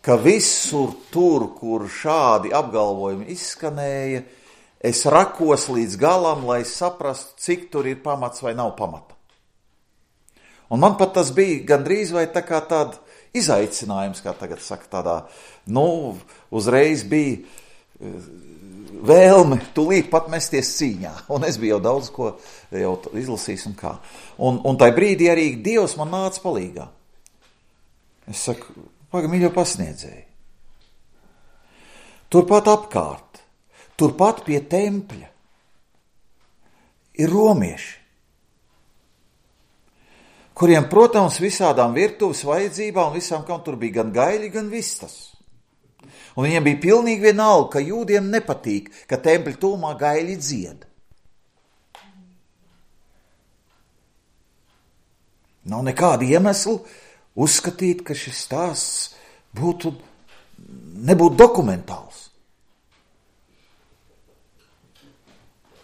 ka visur tur, kur šādi apgalvojumi izskanēja, es rakos līdz galam, lai saprastu, cik tur ir pamats vai nav pamata. Un man pat tas bija gandrīz vai tā kā tāda izaicinājums, kā tagad saka, tādā, nu, uzreiz bija vēlme tūlīt pat mesties cīņā. Un es biju jau daudz ko jau izlasījis un kā. Un, un tai brīdī arī Dievs man nāca palīgā. Es saku, pagaidām, mīļo pasniedzēji. Turpat apkārt, turpat pie tempļa ir romieši, kuriem, protams, visādām virtuves vajadzībām, visām, kam tur bija gan gaļi, gan vistas. Un viņiem bija pilnīgi vienalga, ka jūdiem nepatīk, ka tempļa tūmā gaļi dzied. Nav nekāda iemesla uzskatīt, ka šis stāsts būtu, nebūtu dokumentāls.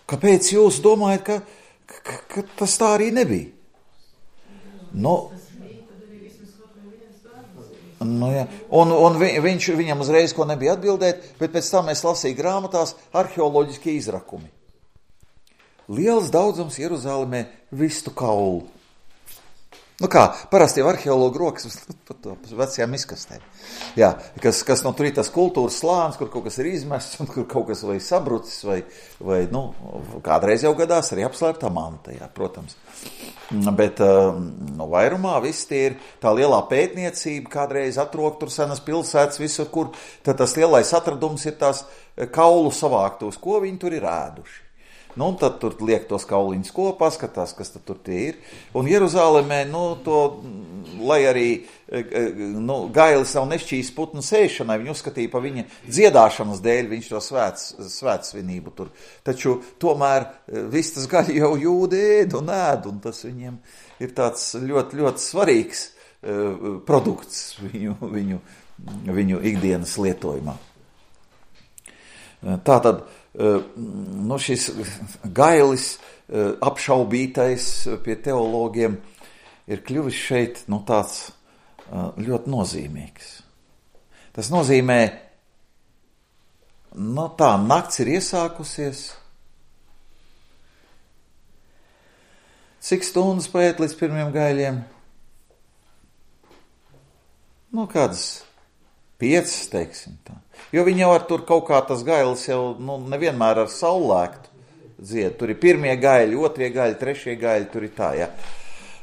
Kāpēc jūs domājat, ka, ka, ka tas tā arī nebija? Nu, nu jā. Un, un vi, viņš, viņam uzreiz ko nebija atbildēt, bet pēc tam es lasīju grāmatās arheoloģiskie izrakumi. Liels daudzums Jeruzālēmē vistu kaulu. Nu kā, parasti jau arheologu rokas par to vecajām izkastēm. Jā, kas, kas no tur ir tas kultūras slānis, kur kaut kas ir izmests, un kur kaut kas vai sabrucis, vai, vai nu, kādreiz jau gadās arī apslēptā manta, jā, protams. Bet no vairumā viss tie ir tā lielā pētniecība, kādreiz atrok tur senas pilsētas, visur, kur tad tas lielais atradums ir tās kaulu savāktos, ko viņi tur ir ēduši. Nu, un tad tur liek tos kauliņus kopā, skatās, kas tad tur tie ir. Un Jeruzālēmē, nu, to, lai arī, nu, Gailis nav nešķīs putnu sēšanai, viņu uzskatīja pa viņa dziedāšanas dēļ, viņš to svēts, svētsvinību tur. Taču tomēr vistas gaļu jau jūdi ēd un ēd, un tas viņiem ir tāds ļoti, ļoti svarīgs uh, produkts viņu, viņu, viņu ikdienas lietojumā. Tātad, nu, šis Gailis, apšaubītais pie teologiem, ir kļuvis šeit, nu, tāds ļoti nozīmīgs. Tas nozīmē, nu, tā nakts ir iesākusies. Cik stundas paiet līdz pirmiem gaļiem? Nu, kādas piecas, teiksim tā. Jo viņi jau ar tur kaut kā tas gailis jau, nu, nevienmēr ar saulēktu dzied. Tur ir pirmie gaļi, otrie gaļi, trešie gaļi, tur ir tā, jā.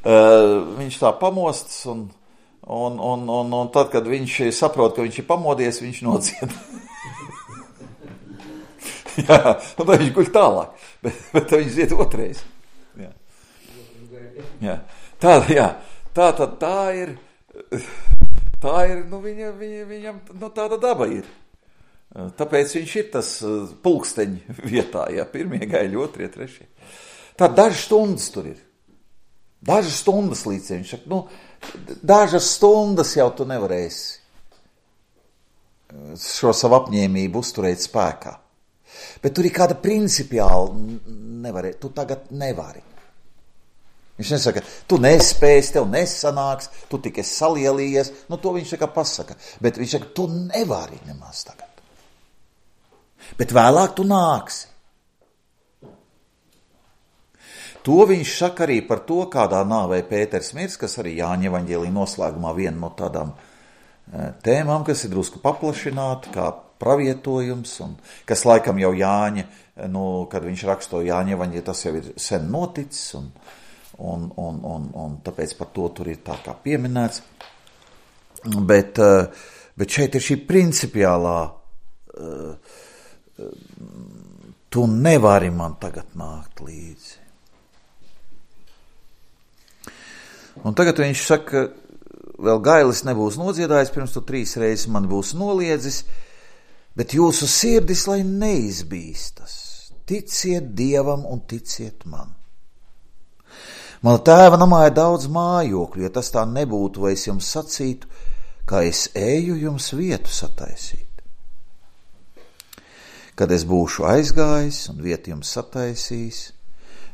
Uh, viņš tā pamostas un, un, un, un, un tad, kad viņš saprot, ka viņš ir pamodies, viņš nodzied. Jā, un tad viņš guļ tālāk, bet, bet tad viņš dzied otrais. Jā. Jā. Tā, jā. Tā tad tā ir, tā ir, nu, viņa, viņa, viņam, nu, tāda daba ir. Tāpēc viņš ir tas pulksteņi vietā, jā, pirmie gaļi, otrie, trešie. Tā dažas stundas tur ir. Dažas stundas līdz viņš saka, nu, dažas stundas jau tu nevarēsi šo savu apņēmību uzturēt spēkā. Bet tur ir kāda principiāla nevarē, tu tagad nevari. Viņš nesaka, tu nespēsi, tev nesanāks, tu tikai salielījies, nu to viņš saka pasaka. Bet viņš saka, tu nevari nemaz tagad. Bet vēlāk tu nāksi. To viņš saka arī par to, kādā nāvē Pēters mirs, kas arī Jāņa evaņģēlija noslēgumā viena no tādām tēmām, kas ir drusku paplašināta, kā pravietojums, un kas laikam jau Jāņa, nu, kad viņš raksto Jāņa evaņģēliju, tas jau ir sen noticis, un, un, un, un, un tāpēc par to tur ir tā kā pieminēts. Bet, bet šeit ir šī principiālā tu nevari man tagad nākt līdzi. Un tagad viņš saka, vēl Gailis nebūs nodziedājis, pirms tu trīs reizes man būs noliedzis, bet jūsu sirdis, lai neizbīstas. Ticiet Dievam un ticiet man. Mana tēva namā ir daudz mājokļu, ja tas tā nebūtu, vai es jums sacītu, kā es eju jums vietu sataisīt. Kad es būšu aizgājis un vietu jums sataisījis,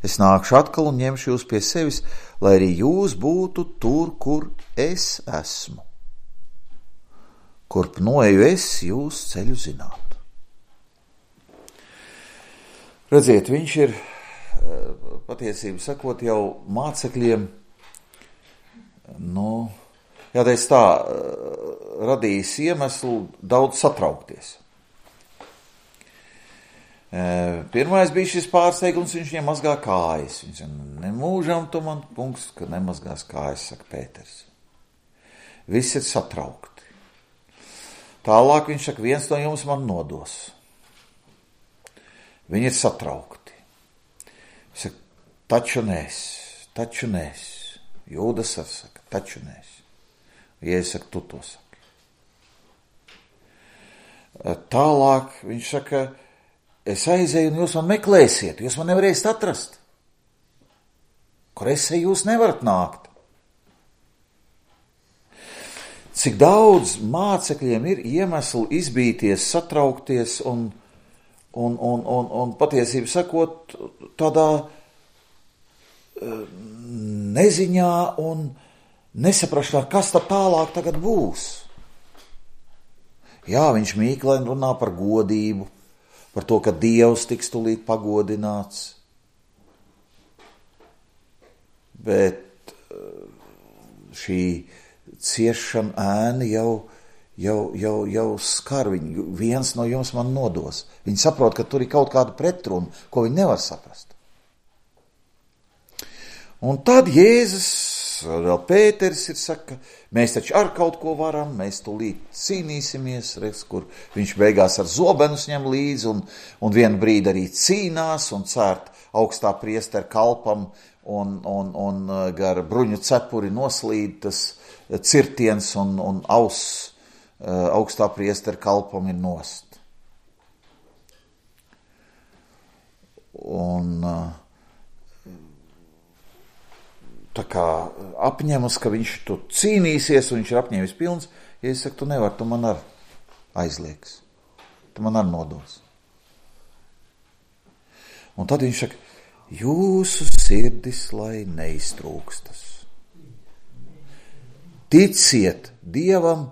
es nākšu atkal un ņemšu jūs pie sevis, lai arī jūs būtu tur, kur es esmu. kurp noeju es, jūs ceļu zināt. Redziet, viņš ir, patiesību sakot, jau mācekļiem, nu, jādēļ tā, radījis iemeslu daudz satraukties. Pirmais bija šis pārsteigums, viņš viņam mazgā kājas. Viņš saka, nemūžam tu man, kungs, ka nemazgās kājas, saka Pēters. Viss ir satraukti. Tālāk viņš saka, viens no jums man nodos. Viņi ir satraukti. Viņš saka, taču nes, taču nes. Jūdas ar saka, taču nes. Jēzus saka, tu to saki. Tālāk viņš saka, es aizēju un jūs man meklēsiet, jūs man nevarēsiet atrast. Kur es eju, jūs nevarat nākt. Cik daudz mācekļiem ir iemesli izbīties, satraukties un, un, un, un, un patiesību sakot, tādā neziņā un nesaprašanā, kas tad tālāk tagad būs. Jā, viņš mīklēni runā par godību, par to, ka Dievs tiks tūlīt pagodināts. Bet šī ciešana ēna jau, jau, jau, jau skar viņu. Viens no jums man nodos. Viņi saprot, ka tur ir kaut kāda pretruna, ko viņi nevar saprast. Un tad Jēzus, vēl Pēters ir saka, mēs taču ar kaut ko varam, mēs tūlīt cīnīsimies, redz, kur viņš beigās ar zobenus ņem līdzi un, un vienu brīdi arī cīnās un cērt augstā priestera kalpam un, un, un gar bruņu cepuri noslīd tas cirtiens un, un auss augstā priestera kalpam ir nost. Un tā kā apņemas, ka viņš tu cīnīsies, un viņš ir apņēmis pilns, ja es saku, tu nevar, tu man ar aizliegs, tu man ar nodos. Un tad viņš saka, jūsu sirdis, lai neiztrūkstas. Ticiet Dievam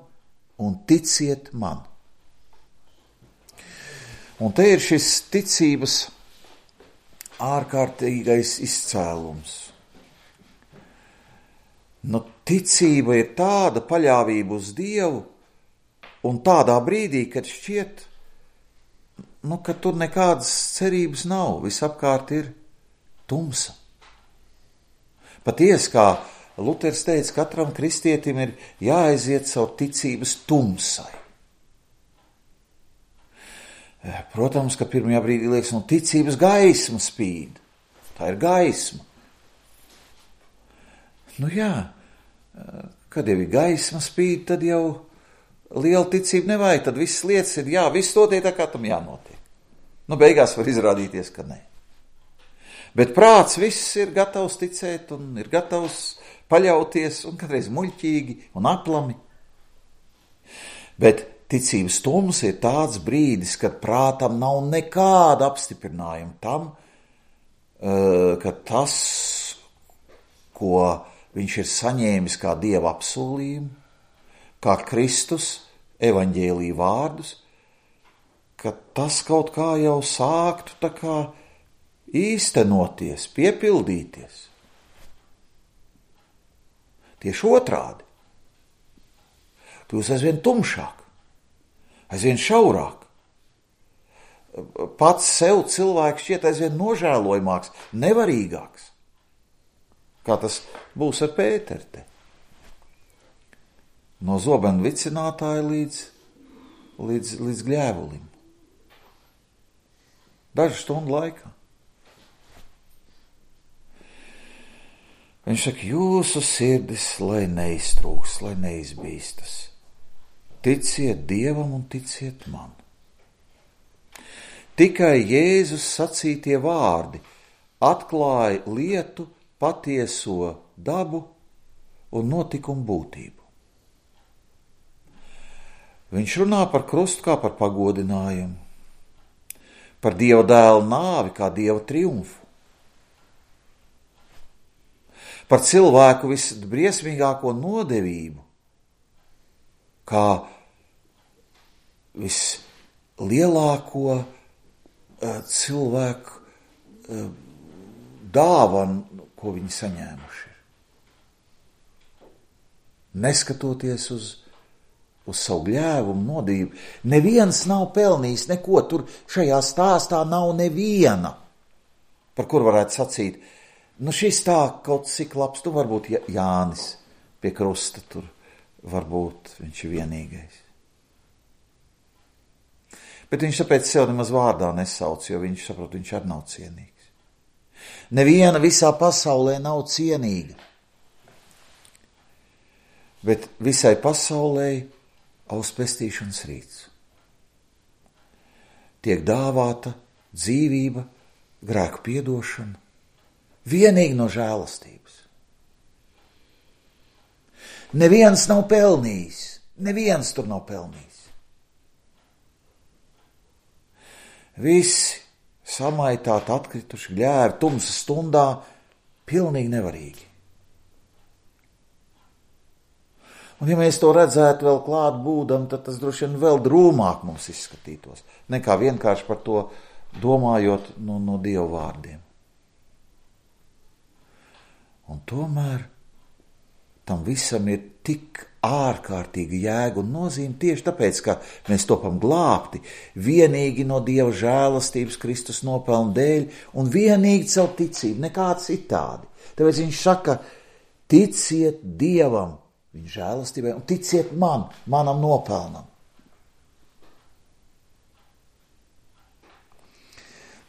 un ticiet man. Un te ir šis ticības ārkārtīgais izcēlums. Nu, ticība ir tāda paļāvība uz Dievu, un tādā brīdī, kad šķiet, nu, ka tur nekādas cerības nav, visapkārt ir tumsa. Patiesi, kā Luters teica, katram kristietim ir jāaiziet savu ticības tumsai. Protams, ka pirmajā brīdī liekas, nu, ticības gaisma spīd. Tā ir gaisma. Nu jā, kad jau ir gaisma spīd, tad jau liela ticība nevajag, tad visas lietas ir, jā, viss notiek tā, kā tam jānotiek. Nu, beigās var izrādīties, ka nē. Bet prāts viss ir gatavs ticēt un ir gatavs paļauties un kādreiz muļķīgi un aplami. Bet ticības tums ir tāds brīdis, kad prātam nav nekāda apstiprinājuma tam, ka tas, ko viņš ir saņēmis kā Dieva apsolījumu, kā Kristus evaņģēlija vārdus, ka tas kaut kā jau sāktu tā kā īstenoties, piepildīties. Tieši otrādi. Kļūs aizvien tumšāk, aizvien šaurāk. Pats sev cilvēks šķiet aizvien nožēlojamāks, nevarīgāks. Kā tas būs ar Pēteru te. No zobenu vicinātāja līdz, līdz, līdz gļēvulim. Dažu stundu laikā. Viņš saka, jūsu sirdis, lai neiztrūks, lai neizbīstas. Ticiet Dievam un ticiet man. Tikai Jēzus sacītie vārdi atklāja lietu patieso dabu un notikumu būtību. Viņš runā par krustu kā par pagodinājumu, par Dieva dēla nāvi kā Dieva triumfu, par cilvēku visbriesmīgāko nodevību, kā vislielāko uh, cilvēku uh, dāvanu, ko viņi saņēmuši ir. Neskatoties uz, uz savu gļēvumu, nodību. Neviens nav pelnījis neko, tur šajā stāstā nav neviena, par kur varētu sacīt, nu šis tā kaut cik labs, tu varbūt Jānis pie krusta tur, varbūt viņš ir vienīgais. Bet viņš tāpēc sev nemaz vārdā nesauc, jo viņš saprot, viņš arī nav cienīgs. Neviena visā pasaulē nav cienīga. Bet visai pasaulē aus pestīšanas rīts. Tiek dāvāta dzīvība, grēku piedošana, vienīgi no žēlastības. Neviens nav pelnījis, neviens tur nav pelnījis. Visi samaitāti, atkrituši, gļēvi, tumsas stundā, pilnīgi nevarīgi. Un ja mēs to redzētu vēl klāt būdam, tad tas droši vien vēl drūmāk mums izskatītos, nekā vienkārši par to domājot no, no Dieva vārdiem. Un tomēr tam visam ir tik ārkārtīga jēga un nozīme tieši tāpēc, ka mēs topam glābti vienīgi no Dieva žēlastības Kristus nopelnu dēļ un vienīgi caur ticību, nekā citādi. Tāpēc viņš saka, ticiet Dievam, viņa žēlastībai, un ticiet man, manam nopelnam.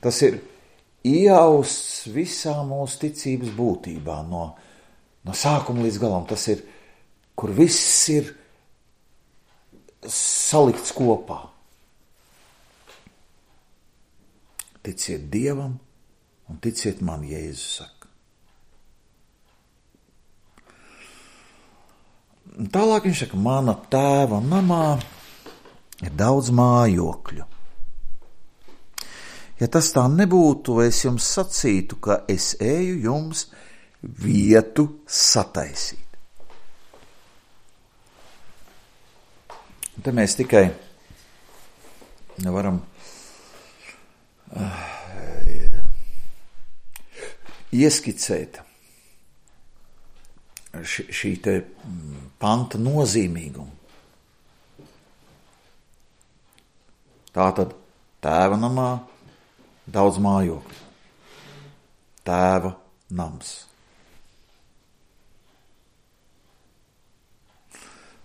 Tas ir iejausts visā mūsu ticības būtībā, no, no sākuma līdz galam. Tas ir, kur viss ir salikts kopā. Ticiet Dievam un ticiet man, Jēzus saka. Tālāk viņš saka, mana tēva namā ir daudz mājokļu. Ja tas tā nebūtu, es jums sacītu, ka es eju jums vietu sataisīt. Un te mēs tikai varam uh, ieskicēt š, šī te panta nozīmīgumu. Tātad tēva namā daudz mājokļu. Tēva nams.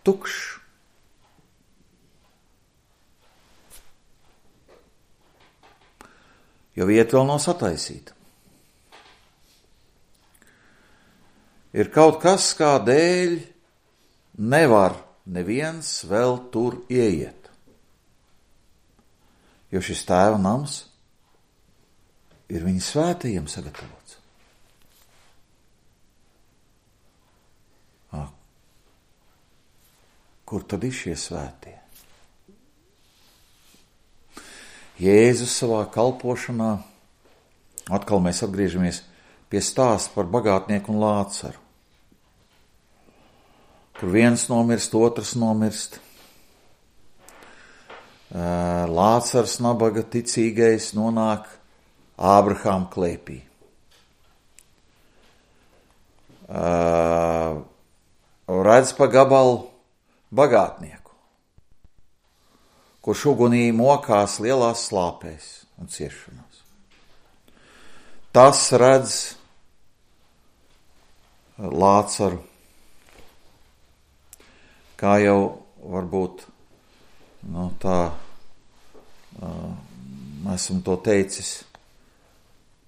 Tukšs. Jo vieta vēl nav sataisīta. Ir kaut kas, kādēļ nevar neviens vēl tur ieiet. Jo šis tēva nams ir viņa svētajiem sagatavots. À, kur tad ir šie svētie? Jēzus savā kalpošanā, atkal mēs atgriežamies pie stāsta par bagātnieku un Lācaru, kur viens nomirst, otrs nomirst. Lācars, nabaga ticīgais, nonāk Ābrahāma klēpī. Redz pa gabalu bagātnieku, kurš ugunī mokās lielās slāpēs un ciešanās. Tas redz Lācaru, kā jau varbūt no tā uh, esmu to teicis.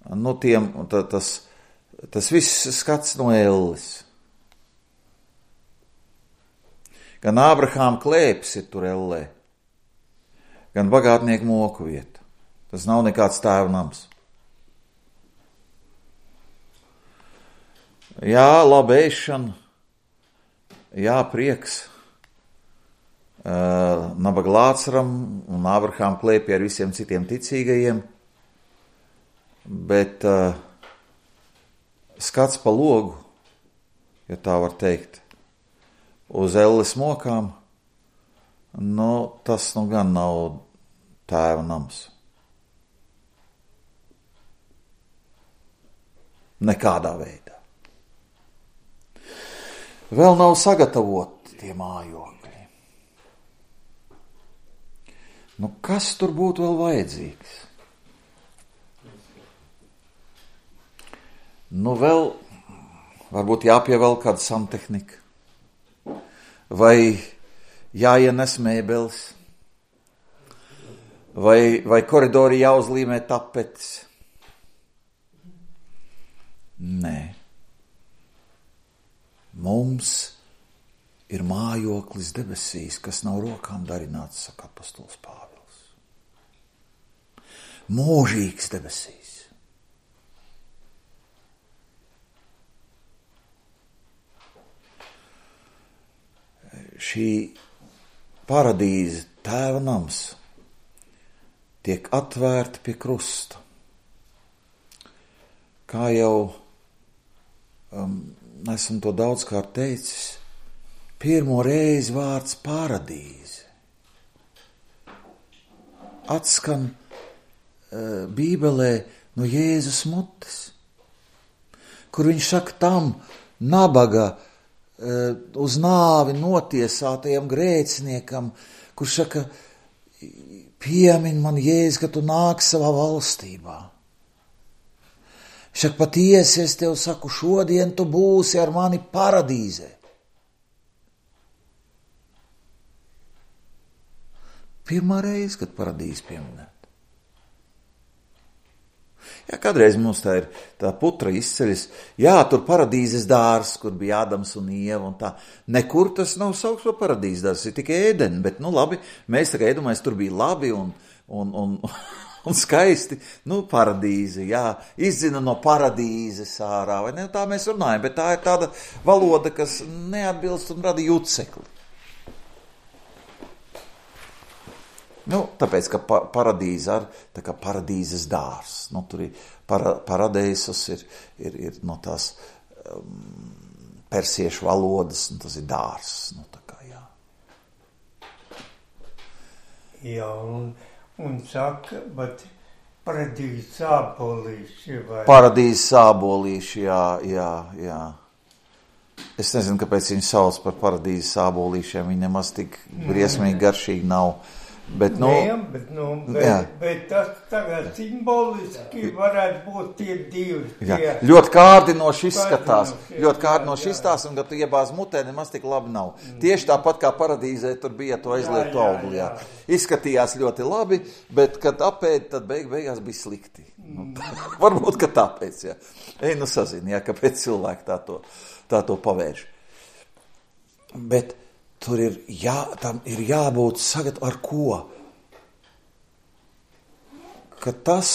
Nu, tiem, tā, tas, tas viss skats no elles. Gan Ābrahāma klēpis ir tur ellē, gan bagātnieku moku vieta. Tas nav nekāds tēva nams. Jā, laba ēšana, jā, prieks. Uh, nabaga Lācaram un Ābrahāma klēpī ar visiem citiem ticīgajiem, bet uh, skats pa logu, ja tā var teikt, uz elles mokām nu, tas nu gan nav tēva nams. Nekādā veidā. Vēl nav sagatavoti tie mājokļi. Nu, kas tur būtu vēl vajadzīgs? Nu, vēl varbūt jāpievēl kāda santehnika. Vai jāienes mēbeles. Vai, vai koridori jāuzlīmē tapetes. Nē. Mums ir mājoklis debesīs, kas nav rokām darināts, saka apostols Pāvils. Mūžīgs debesīs. Šī paradīze, tēva nams, tiek atvērta pie krusta. Kā jau um, esmu to daudzkārt teicis, pirmo reizi vārds paradīze atskan uh, Bībelē no Jēzus mutes, kur viņš saka tam nabaga uh, uz nāvi notiesātajam grēciniekam, kurš saka, piemin man Jēzus, ka tu nāks savā valstībā. Viņš saka, patiesi es tev saku, šodien tu būsi ar mani paradīzē. Pirmā reize, kad paradīze pieminēta. Jā, kādreiz mums tā ir tā putra izceļas, jā, tur paradīzes dārs, kur bija Ādams un Ieva un tā. Nekur tas nav saukts par paradīzes dārs, ir tikai Ēdeni, bet nu labi, mēs tā kā iedomājamies, tur bija labi un, un, un, un skaisti, nu paradīze, jā, izdzina no paradīzes ārā, vai ne, tā mēs runājam, bet tā ir tāda valoda, kas neatbilst un rada jucekli. Nu, tāpēc, ka pa, paradīze ar, tā kā paradīzes dārs, nu, tur ir para, paradeisus, ir, ir, ir no tās um, persiešu valodas, un tas ir dārs, nu, tā kā, jā. Jā, un, un saka, bet paradīzes sābolīši, vai? Paradīzes sābolīši, jā, jā, jā. Es nezinu, kāpēc viņi sauc par paradīzes sābolīšiem, viņi nemaz tik briesmīgi garšīgi nav. Bet, nu, Nē, bet, nu, bet, bet tas tagad simboliski varētu būt tie divi. Jā, tie, ļoti kārdinoši izskatās, kārdinoši, ļoti kārdinoši jā, jā. izstās, un kad tu iebāz mutē, nemaz tik labi nav. Mm. Tieši tāpat kā paradīzē, tur bija to aizlietu augļu, jā. Izskatījās ļoti labi, bet, kad apēd, tad beig beigās bija slikti. Mm. Nu, varbūt, ka tāpēc, jā. Ej, nu sazini, jā, kāpēc cilvēki tā to, tā to pavērš. Bet tur ir, jā, tam ir jābūt sagat ar ko? Ka tas,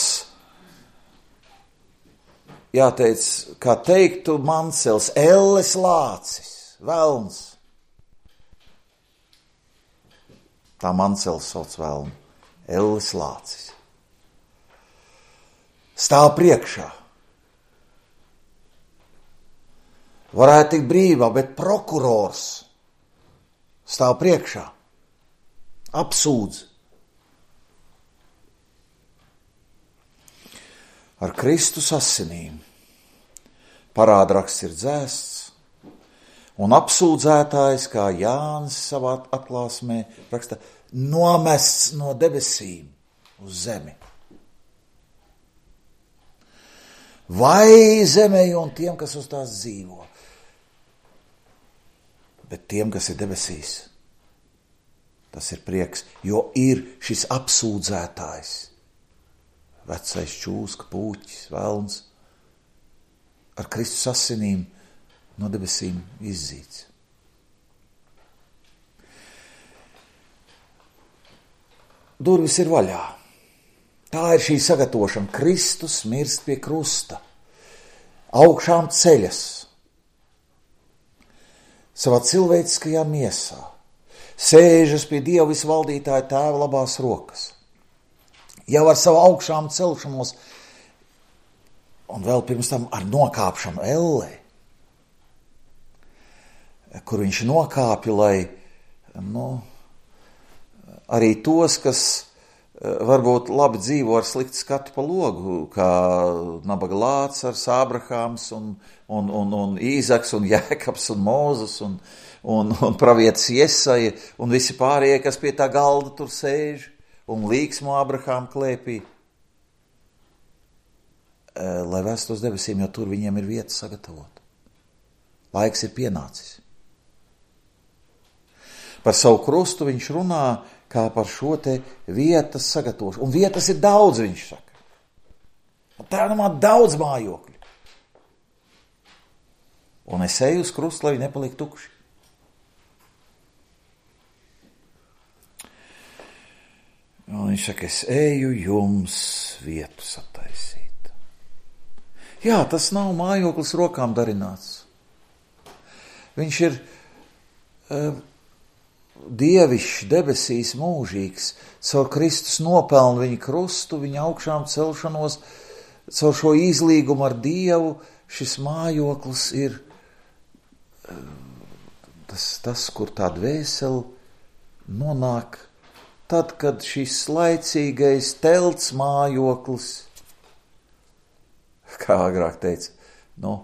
jāteic, kā teiktu Mancels, elles lācis, velns. Tā Mancels sauc velnu, elles lācis. Stāv priekšā. Varētu tikt brīvā, bet prokurors stāv priekšā, apsūdz. Ar Kristus asinīm parādraksts ir dzēsts, un apsūdzētājs, kā Jānis savā atklāsmē raksta, nomests no debesīm uz zemi. Vai zemē un tiem, kas uz tās dzīvo, bet tiem, kas ir debesīs, tas ir prieks, jo ir šis apsūdzētājs, vecais čūska, pūķis, velns, ar Kristus asinīm no debesīm izdzīts. Durvis ir vaļā. Tā ir šī sagatavošana. Kristus mirst pie krusta, augšām ceļas, savā cilvēciskajā miesā, sēžas pie Dieva visvaldītāja tēva labās rokas. Jau ar savu augšām celšanos, un vēl pirms tam ar nokāpšanu ellē, kur viņš nokāpja, lai, nu, arī tos, kas varbūt labi dzīvo ar sliktu skatu pa logu, kā nabaga Lācars, Ābrahāms un, un, un, un Īzaks un Jēkabs un Mūzes un, un, un pravietis Jesaja un visi pārējie, kas pie tā galda tur sēž un līksmo Ābrahāma klēpī, lai vēstos debesīm, jo tur viņiem ir vieta sagatavot. Laiks ir pienācis. Par savu krustu viņš runā kā par šo te vietas sagatavošanu. Un vietas ir daudz, viņš saka. Tā ir man daudz mājokļu. Un es eju uz krustu, lai viņi nepaliek tukši. Un viņš saka, es eju jums vietu sataisīt. Jā, tas nav mājoklis rokām darināts. Viņš ir uh, dievišķs, debesīs mūžīgs, caur Kristus nopelnu viņa krustu, viņa augšām celšanos, caur šo izlīgumu ar Dievu, šis mājoklis ir tas, tas kur tā dvēsele nonāk tad, kad šis laicīgais telts mājoklis, kā agrāk teica, nu,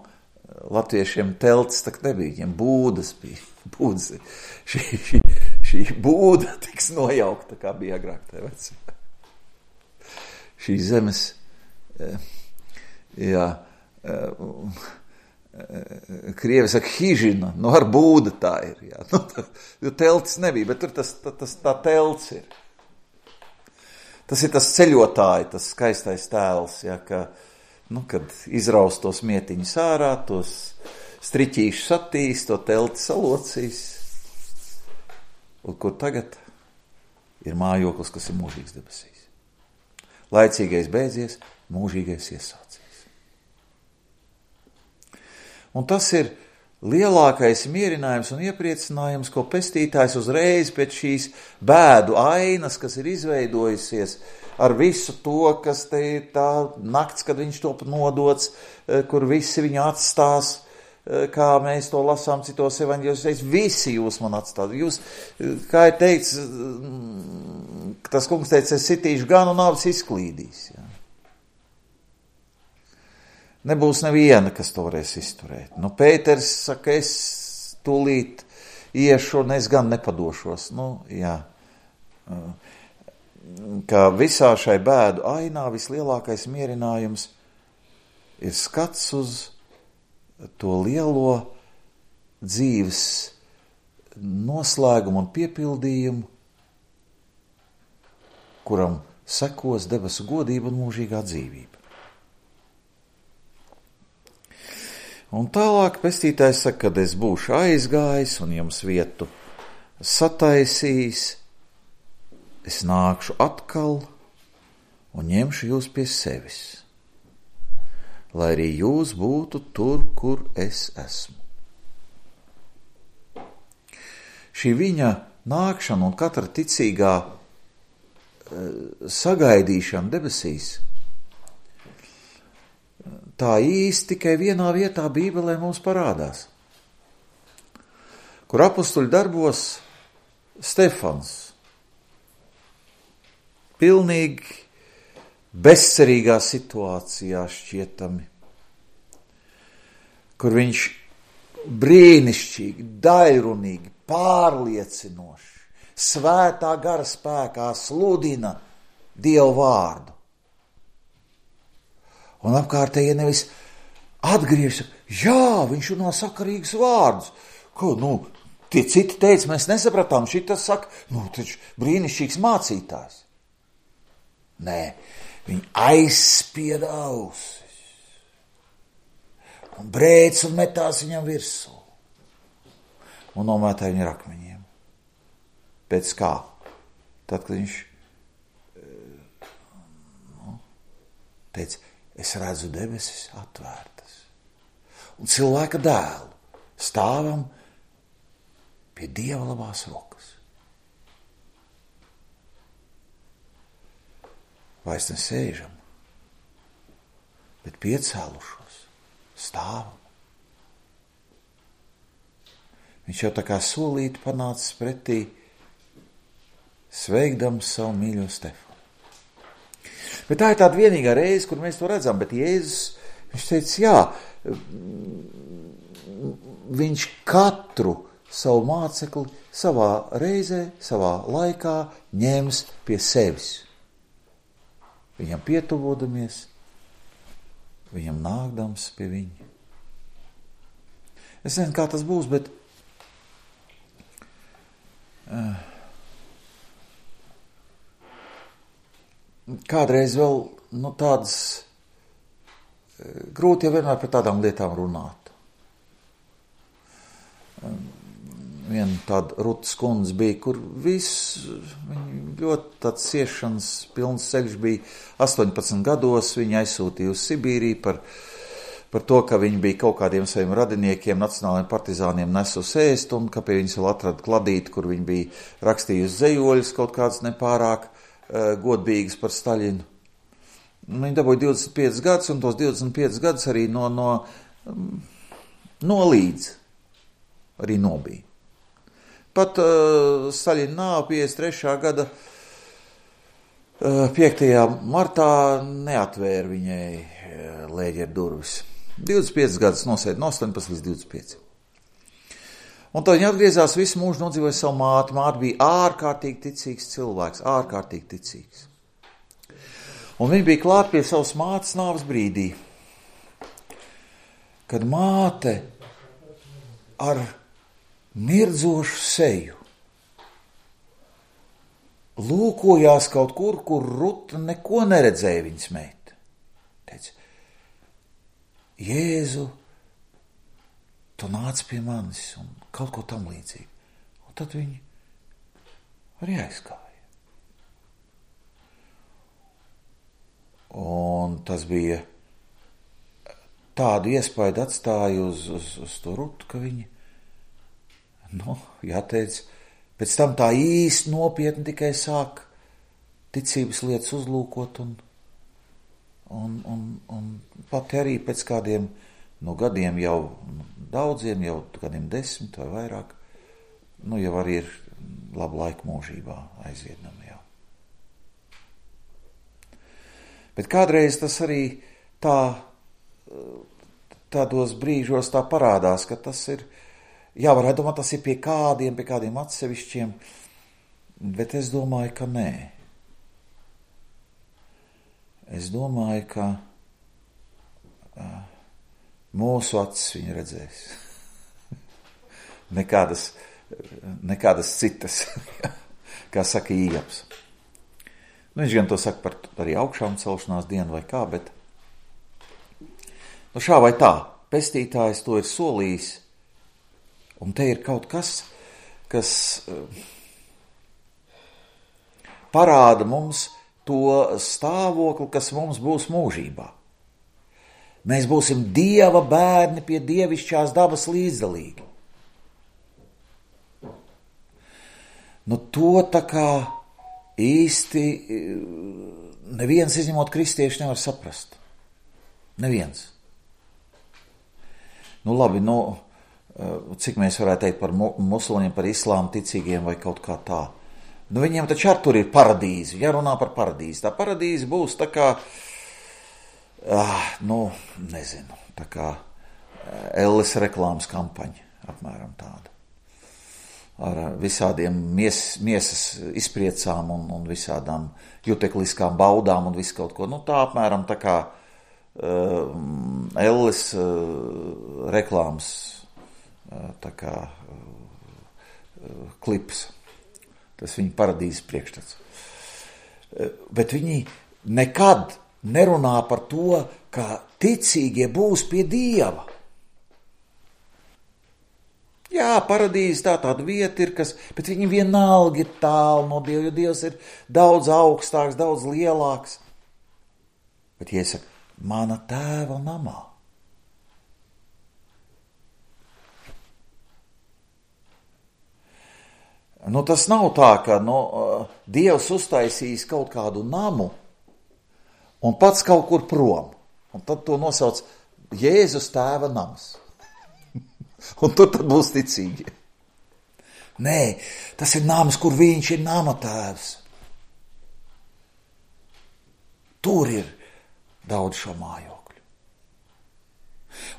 latviešiem telts tak nebija, viņiem būdas bija. Būdas, šī, šī, šī būda tiks nojaukta, kā bija agrāk tā vecā. Šī zemes, jā, krievi saka hižina, nu ar būda tā ir, jā. Nu, tā, jo telts nebija, bet tur tas, tas, tā telts ir. Tas ir tas ceļotāji, tas skaistais tēls, jā, ka, nu, kad izraust tos mietiņus ārā, tos striķīšus attīs, to telti salocīs. Un kur tagad ir mājoklis, kas ir mūžīgs debesīs. Laicīgais beidzies, mūžīgais iesācies. Un tas ir lielākais mierinājums un iepriecinājums, ko pestītājs uzreiz pēc šīs bēdu ainas, kas ir izveidojusies ar visu to, kas te ir tā nakts, kad viņš top nodots, kur visi viņu atstās, kā mēs to lasām citos evaņģēļos, visi jūs man atstāt. Jūs, kā ir teikts, tas kungs teica, es sitīšu gan un nāvis izklīdīs. Jā. Nebūs neviena, kas to varēs izturēt. Nu, Pēters saka, es tūlīt iešu un es gan nepadošos. Nu, jā. Kā visā šai bēdu ainā vislielākais mierinājums ir skats uz to lielo dzīves noslēgumu un piepildījumu, kuram sekos debesu godība un mūžīgā dzīvība. Un tālāk pestītājs saka, kad es būšu aizgājis un jums vietu sataisījis, es nākšu atkal un ņemšu jūs pie sevis, lai arī jūs būtu tur, kur es esmu. Šī viņa nākšana un katra ticīgā sagaidīšana debesīs, tā īsti tikai vienā vietā Bībelē mums parādās, kur apustuļu darbos Stefans pilnīgi bezcerīgā situācijā šķietami, kur viņš brīnišķīgi, daļrunīgi, pārliecinoši, svētā gara spēkā sludina Dievu vārdu. Un apkārtēji nevis atgriežas, jā, viņš runā sakarīgus vārdus. Ko, nu, tie citi teica, mēs nesapratām, šitas saka, nu, taču brīnišķīgs mācītājs. Nē, viņi aizspieda ausis un brēc un metās viņam virsū un nomētāja viņu ar akmeņiem. Pēc kā? Tad, kad viņš nu, teica, es redzu debesis atvērtas un cilvēka dēlu stāvam pie Dieva labās rokas. Vairs nesēžam, bet piecēlušos, stāvam. Viņš jau tā kā solīti panācis pretī sveikdams savu mīļo Stefanu. Bet tā ir tāda vienīgā reize, kur mēs to redzam, bet Jēzus, viņš teica, jā, viņš katru savu mācekli savā reizē, savā laikā ņems pie sevis. Viņam pietuvodamies, viņam nākdams pie viņa. Es nezinu, kā tas būs, bet uh, kādreiz vēl, nu, tādas uh, grūti jau vienmēr par tādām lietām runāt. Um, Viena tāda Rutas kundze bija, kur viss, viņa ļoti tāds ciešanas pilns ceļš bija astoņpadsmit gados, viņa aizsūtīja uz Sibīriju par, par to, ka viņa bija kaut kādiem saviem radiniekiem, nacionālajiem partizāniem nesus ēst, un ka pie viņas vēl atrada kladīti, kur viņa bija rakstījusi zejoļus kaut kāds nepārāk uh, godīgas par Staļinu. Viņa dabūja divdesmit piecus gadus, un tos divdesmit piecus gadus arī no, no, um, nolīdz, arī nobija. Pat uh, Staļina nāve piecdesmit trešā gada uh, piektajā martā neatvēra viņai uh, lēģeru durvis. divdesmit piecus gadus nosēda no astoņpadsmit līdz divdesmit pieci. Un tad viņa atgriezās, visu mūžu nodzīvoja savu māti. Māte bija ārkārtīgi ticīgs cilvēks, ārkārtīgi ticīgs. Un viņa bija klāt pie savas mātes nāves brīdī, kad māte ar mirdzošu seju lūkojās kaut kur, kur Ruta neko neredzēja viņas meita. Teica, Jēzu, tu nāc pie manis un kaut ko tam līdzīgi. Un tad viņi arī aizgāja. Un tas bija tādu iespaidu atstāja uz, uz, uz to Rutu, ka viņi Nu, jāteic, pēc tam tā īsti nopietni tikai sāk ticības lietas uzlūkot un, un, un, un pati arī pēc kādiem nu, gadiem jau daudziem, jau kādiem desmit vai vairāk, nu jau arī ir labu laiku mūžībā aiziednami jau. Bet kādreiz tas arī tā, tādos brīžos tā parādās, ka tas ir Jā, varētu domāt, tas ir pie kādiem, pie kādiem atsevišķiem, bet es domāju, ka nē. Es domāju, ka uh, mūsu acis viņa redzēs. nekādas, nekādas citas, kā saka Ījabs. Nu, viņš gan to saka par arī augšām celšanās dienu vai kā, bet nu, šā vai tā, pestītājs to ir solījis. Un te ir kaut kas, kas parāda mums to stāvokli, kas mums būs mūžībā. Mēs būsim Dieva bērni pie dievišķās dabas līdzdalīgi. Nu to tā kā īsti neviens izņemot kristieši nevar saprast. Neviens. Nu labi, nu... cik mēs varētu teikt par musulmaņiem, par islāmu ticīgiem vai kaut kā tā. Nu, viņiem taču ar tur ir paradīze, jārunā par paradīzi. Tā paradīze būs tā kā, ah, nu, nezinu, tā kā Elles reklāmas kampaņa, apmēram tāda. Ar visādiem mies, miesas izpriecām un, un visādām jutekliskām baudām un visu kaut ko. Nu, tā apmēram tā kā uh, Elles uh, reklāmas tā kā uh, klips. Tas viņa paradīzes priekšstats. Uh, bet viņi nekad nerunā par to, ka ticīgie būs pie Dieva. Jā, paradīze tā tāda vieta ir, kas, bet viņi vienalga ir tālu no Dieva, jo Dievs ir daudz augstāks, daudz lielāks. Bet iesaka, mana tēva namā. Nu, tas nav tā, ka nu, Dievs uztaisīs kaut kādu namu un pats kaut kur prom. Un tad to nosauc Jēzus tēva nams. Un tur tad būs ticīgi. Nē, tas ir nams, kur viņš ir nama tēvs. Tur ir daudz šo mājokļu.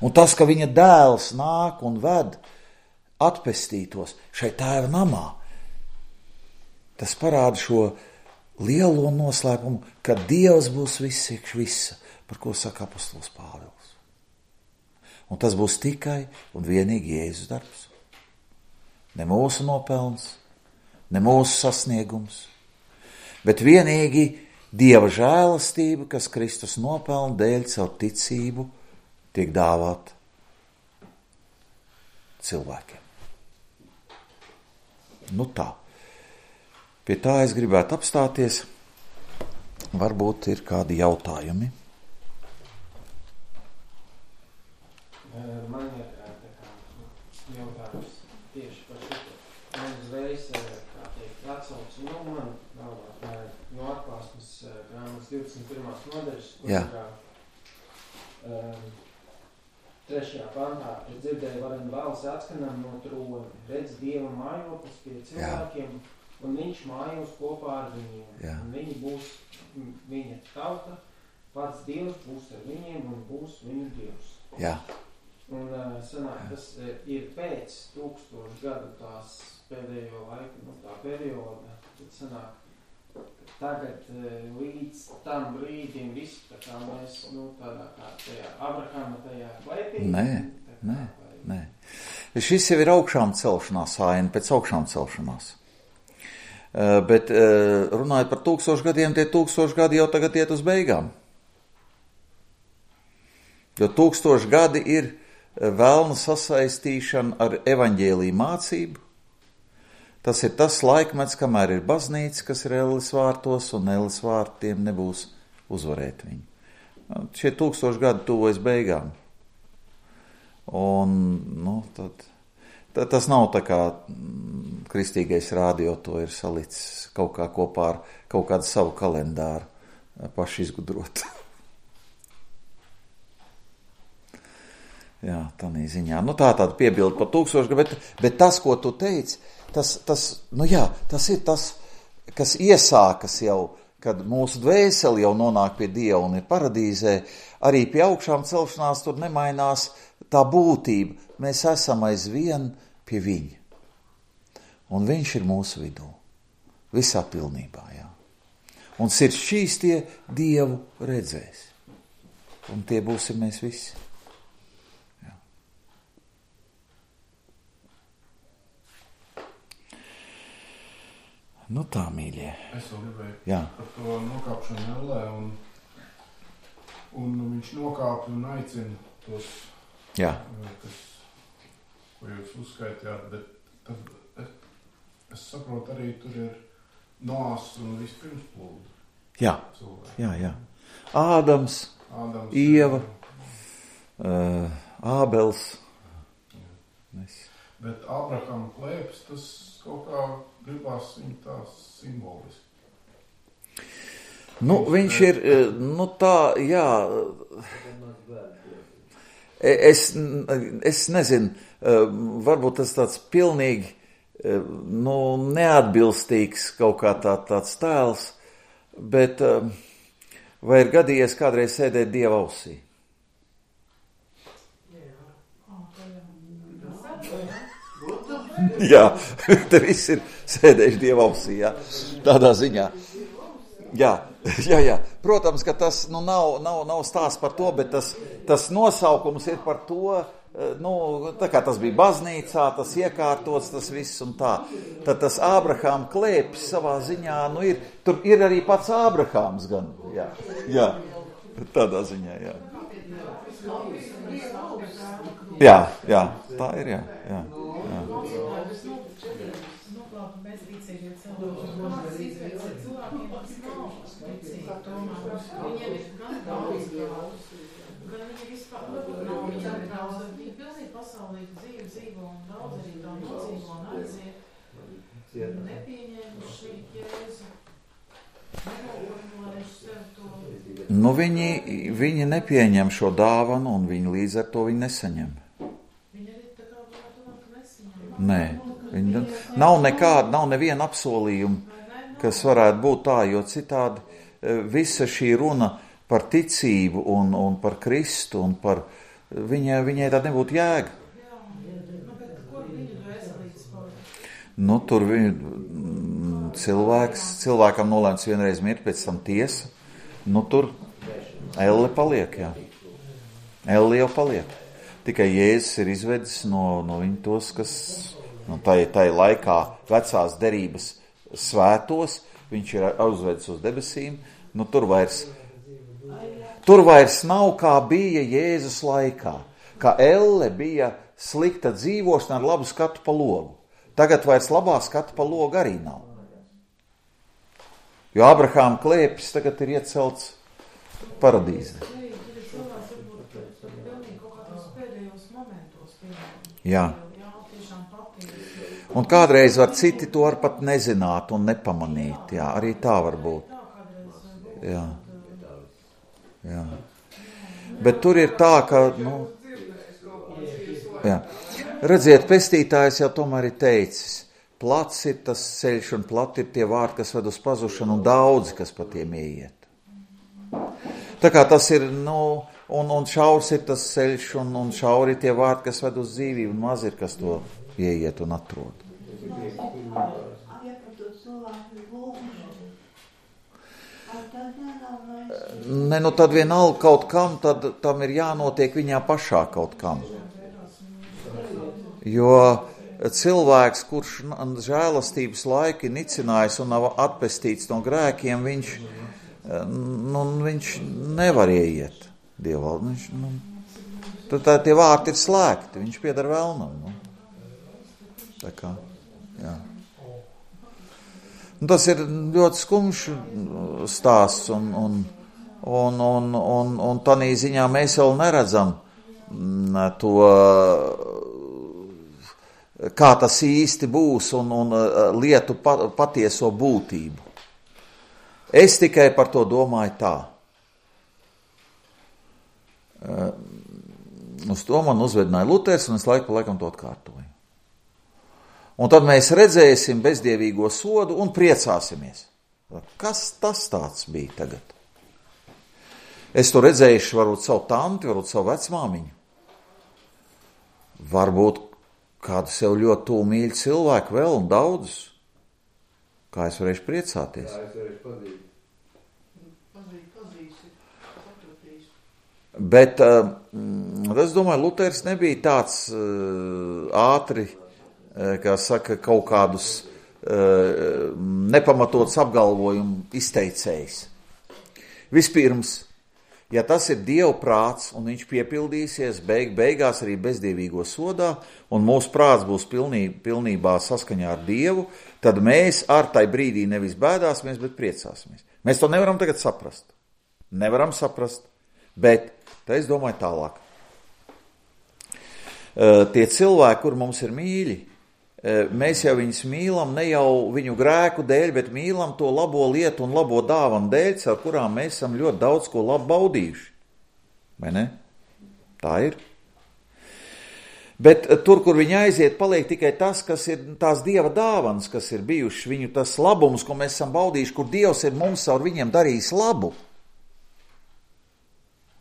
Un tas, ka viņa dēls nāk un ved atpestītos šai tēva namā, tas parāda šo lielo noslēpumu, ka Dievs būs viss iekš visa, par ko saka apostols Pāvils. Un tas būs tikai un vienīgi Jēzus darbs. Ne mūsu nopelns, ne mūsu sasniegums, bet vienīgi Dieva žēlastība, kas Kristus nopelna dēļ caur ticību, tiek dāvāt cilvēkiem. Nu tā. Pie tā es gribētu apstāties. Varbūt ir kādi jautājumi. Man ir tā kā jautājums tieši par šito. Man uzreiz, kā teikt, atsauc, nu man galvā no Atklāsmes grāmatas divdesmit pirmās nodaļas, kur ir um, trešajā pantā, es dzirdēju varenu balsi atskanam no trona, redz Dieva mājoklis pie cilvēkiem, Jā. Un viņš mājos kopā ar viņiem. Jā. Un viņi būs viņa tauta, pats Dievs būs ar viņiem un būs viņu Dievs. Jā. Un sanāk, tas ir pēc tūkstošu gadu tās pēdējo laiku, nu tā perioda, tad sanāk, tagad līdz tam brīdim viss, tā kā mēs, nu tādā kā tajā Abrahama tajā klēpī. Nē, nē, nē. Šis jau ir augšām celšanās aina, pēc augšām celšanās. Uh, bet uh, runājot par tūkstošu gadiem, tie tūkstoši gadi jau tagad iet uz beigām. Jo tūkstoši gadi ir velna sasaistīšana ar evaņģēliju mācību. Tas ir tas laikmets, kamēr ir baznīca, kas ir Elles vārtos, un Elles vārtiem nebūs uzvarēt viņu. Šie tūkstoši gadi tuvojas beigām. Un, nu, tad... Tas nav tā kā kristīgais rādio to ir salicis kaut kā kopā ar kaut kādu savu kalendāru paši izgudrot. Jā, tādā ziņā. Nu tā tāda piebilda par tūkstošu, bet, bet tas, ko tu teici, tas, tas, nu jā, tas ir tas, kas iesākas jau, kad mūsu dvēseli jau nonāk pie Dieva un ir paradīzē, arī pie augšām celšanās tur nemainās tā būtība. Mēs esam aizvien pie viņa. Un viņš ir mūsu vidū. Visā pilnībā, jā. Un sirds šīs tie Dievu redzēs. Un tie būsim mēs visi. Jā. Nu tā, mīļie. Es vēl gribēju jā. Par to nokāpšanu ellē. Un, un viņš nokāp un aicina tos, jā. kas, ko jūs uzskaitījāt, bet tad es, es saprotu arī tur ir Noās un vispirms plūdu. Jā, cilvēki. jā, jā. Ādams, Ādams Ieva, uh, Ābels. Mēs. Bet Abrahama klēpes, tas kaut kā gribās viņu tā simboliski. Nu, viņš ir, nu tā, jā... Es, es nezinu, varbūt tas tāds pilnīgi nu, neatbilstīgs kaut kā tā, tāds tēls, bet vai ir gadījies kādreiz sēdēt Dieva ausī? Jā, te viss ir sēdējuši Dieva ausī, jā, tādā ziņā. Jā, jā, jā. Protams, ka tas nu, nav, nav, nav stāsts par to, bet tas, tas nosaukums ir par to, nu, tā kā tas bija baznīcā, tas iekārtots, tas viss un tā. Tad tas Ābrahāma klēpis savā ziņā, nu ir, tur ir arī pats Ābrahāms gan, jā, jā, tādā ziņā, jā. Jā, jā, tā ir, jā, jā, jā. Viņiem ir gan daudz daudz, gan viņi vispār nav viņam daudz, viņi pilnīgi pasaulīgu dzīvi dzīvo un daudz arī tā nodzīvo un aiziet, nepieņēmuši Jēzu, nenoformulējuši sev to. Nu, viņi, viņi nepieņem šo dāvanu un viņi līdz ar to viņi nesaņem. Viņi arī tā kā varētu runāt, ka nesaņem. Nē. Viņa, nav nekāda, nav neviena apsolījuma, kas varētu būt tā, jo citādi visa šī runa par ticību un, un par Kristu un par viņai, viņai tā nebūtu jēga. Nu, tur viņu, cilvēks, cilvēkam nolēmts vienreiz mirt, pēc tam tiesa. Nu, tur elle paliek, jā. Elle jau paliek. Tikai Jēzus ir izvedis no, no viņu tos, kas nu, tai, tai laikā vecās derības svētos, viņš ir uzvedis uz debesīm. Nu, tur vairs, tur vairs nav kā bija Jēzus laikā. Kā elle bija slikta dzīvošana ar labu skatu pa logu. Tagad vairs labā skata pa logu arī nav. Jo Abrahāma klēpis tagad ir iecelts paradīzē. Jā. Un kādreiz var citi to var pat nezināt un nepamanīt. Jā, arī tā var būt. Jā. Jā. Bet tur ir tā, ka, nu, jā. Redziet, pestītājs jau tomēr ir teicis, plats ir tas ceļš un plati ir tie vārti, kas ved uz pazušanu un daudzi, kas pa tiem ieiet. Tā kā tas ir, nu, un, un šaurs ir tas ceļš un, un šauri ir tie vārti, kas ved uz dzīvību un maz ir, kas to ieiet un atrod. Ne, nu tad vienalga kaut kam, tad tam ir jānotiek viņā pašā kaut kam. Jo cilvēks, kurš žēlastības laiki nicinājis un nav atpestīts no grēkiem, viņš, nu, viņš nevar ieiet Dieva. Viņš, nu, tad tā, tie vārti ir slēgti, viņš pieder velnam. Nu. Tā kā, jā. Un tas ir ļoti skumjš stāsts un, un, un, un, un, un tanī ziņā mēs vēl neredzam to, kā tas īsti būs un, un lietu patieso būtību. Es tikai par to domāju tā. Uz to man uzvedināja Luters, un es laiku pa laikam to atkārtoju. Un tad mēs redzēsim bezdievīgo sodu un priecāsimies. Kas tas tāds bija tagad? Es to redzējuši varbūt savu tanti, varbūt savu vecmāmiņu. Varbūt kādu sev ļoti tuvu mīļu cilvēku vēl un daudzus. Kā es varēšu priecāties? Kā es varēšu pazīt? Pazīt, pazīsi, sapratīsi. Bet, uh, es domāju, Luters nebija tāds uh, ātri, uh, kā saka, kaut kādus uh, nepamatotus apgalvojumu izteicējs. Vispirms, ja tas ir Dieva prāts un viņš piepildīsies beig, beigās arī bezdievīgo sodā un mūsu prāts būs pilnī, pilnībā saskaņā ar Dievu, tad mēs ar tai brīdī nevis bēdāsimies, bet priecāsimies. Mēs to nevaram tagad saprast. Nevaram saprast, bet tā es domāju tālāk. Uh, tie cilvēki, kur mums ir mīļi, uh, mēs jau viņus mīlam ne jau viņu grēku dēļ, bet mīlam to labo lietu un labo dāvanu dēļ, ar kurām mēs esam ļoti daudz ko labu baudījuši. Vai ne? Tā ir. Bet tur, kur viņi aiziet, paliek tikai tas, kas ir tās Dieva dāvanas, kas ir bijuši, viņu tas labums, ko mēs esam baudījuši, kur Dievs ir mums ar viņiem darījis labu.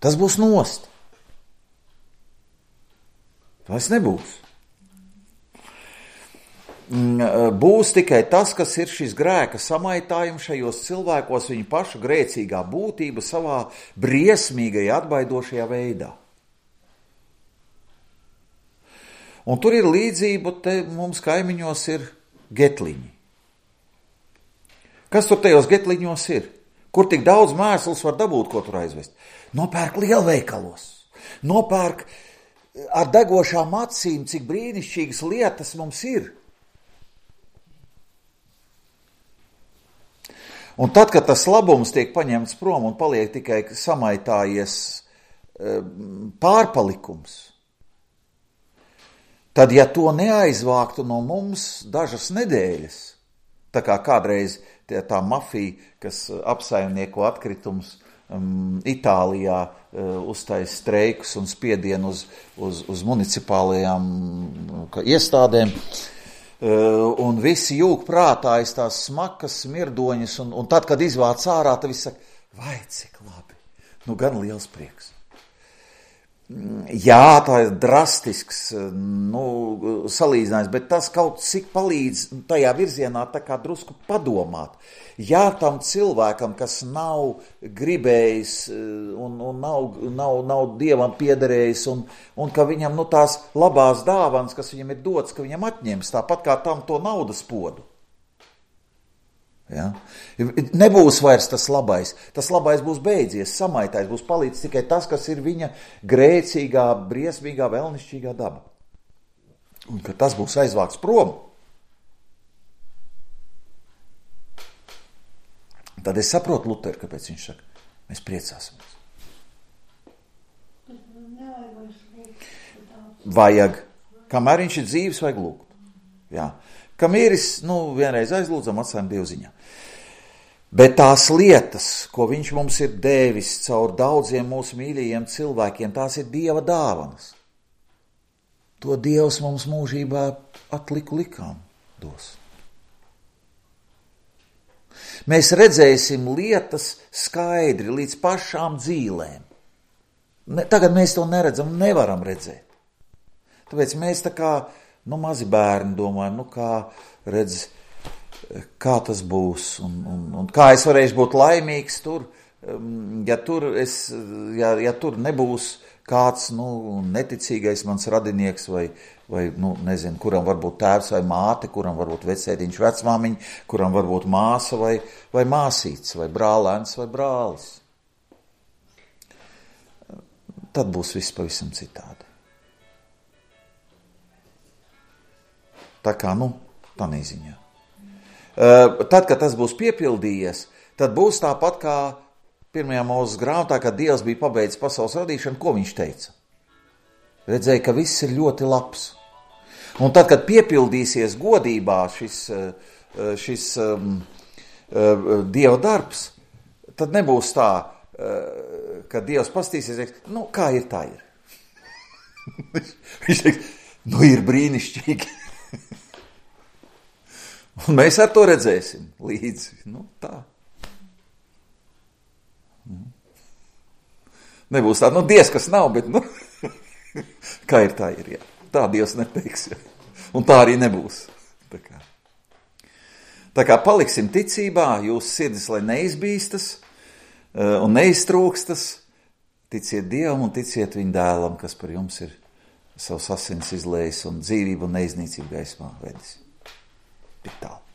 Tas būs nost. Tas nebūs. Būs tikai tas, kas ir šis grēka samaitājums šajos cilvēkos, viņu pašu grēcīgā būtība savā briesmīgajā atbaidošajā veidā. Un tur ir līdzība, te mums kaimiņos ir getliņi. Kas tur tajos getliņos ir? Kur tik daudz mēsls var dabūt, ko tur aizvest? Nopērk lielveikalos, nopērk ar degošām acīm, cik brīnišķīgas lietas mums ir. Un tad, kad tas labums tiek paņemts prom un paliek tikai samaitājies pārpalikums, tad, ja to neaizvāktu no mums dažas nedēļas, tā kā kādreiz tie, tā mafija, kas apsaimnieko atkritumus um, Itālijā uh, uztais streikus un spiedienu uz, uz, uz municipālajām uh, iestādēm, un visi jūg prātā aiz tās smakas, smirdoņas, un, un tad, kad izvāc ārā, tad viss saka, vai cik labi, nu gan liels prieks. Jā, tā ir drastisks, nu, salīdzinājums, bet tas kaut cik palīdz tajā virzienā tā kā drusku padomāt. Jā, tam cilvēkam, kas nav gribējis un, un nav, nav, nav Dievam piederējis, un, un ka viņam nu, tās labās dāvanas, kas viņam ir dots, ka viņam atņems, tāpat kā tam to naudas podu. Ja? Nebūs vairs tas labais. Tas labais būs beidzies, samaitais, būs palīdz tikai tas, kas ir viņa grēcīgā, briesmīgā, vēlnišķīgā daba. Un ka tas būs aizvākts prom. Tad es saprotu Luteru, kāpēc viņš saka, mēs priecāsimies. Vajag, kamēr viņš ir dzīves, vajag lūgt. Jā. Kam īris, nu, vienreiz aizlūdzam, atstājam Dievu ziņā. Bet tās lietas, ko viņš mums ir devis caur daudziem mūsu mīļajiem cilvēkiem, tās ir Dieva dāvanas. To Dievs mums mūžībā atliku likām dos. Mēs redzēsim lietas skaidri līdz pašām dzīlēm. Ne, tagad mēs to neredzam, nevaram redzēt. Tāpēc mēs tā kā, nu, mazi bērni domājam, nu, kā redz, kā tas būs, un, un, un kā es varēšu būt laimīgs tur, ja tur, es, ja, ja tur nebūs kāds, nu, neticīgais mans radinieks vai, vai, nu, nezinu, kuram varbūt tēvs vai māte, kuram varbūt vecētiņš, vecmāmiņa, kuram varbūt māsa vai, vai māsīts, vai brālēns vai brālis. Tad būs viss pavisam citādi. Tā kā, nu, tā neziņā. Tad, kad tas būs piepildījies, tad būs tāpat kā pirmajā Mūzes grāmatā, kad Dievs bija pabeidzis pasaules radīšanu, ko viņš teica? Redzēja, ka viss ir ļoti labs. Un tad, kad piepildīsies godībā šis, šis um, Dieva darbs, tad nebūs tā, ka Dievs pastīsies, nu, kā ir, tā ir. Viņš teiks, nu, ir brīnišķīgi. Un mēs ar to redzēsim līdzi. Nu, tā. Nebūs tā, nu, Dievs, kas nav, bet, nu, kā ir, tā ir, jā. Tā Dievs neteiks, jā. Un tā arī nebūs. Tā kā, tā kā paliksim ticībā, jūsu sirdis, lai neizbīstas un neiztrūkstas, ticiet Dievam un ticiet viņa dēlam, kas par jums ir savus asins izlējis un dzīvību un neiznīcību gaismā vedis. Tik tālu.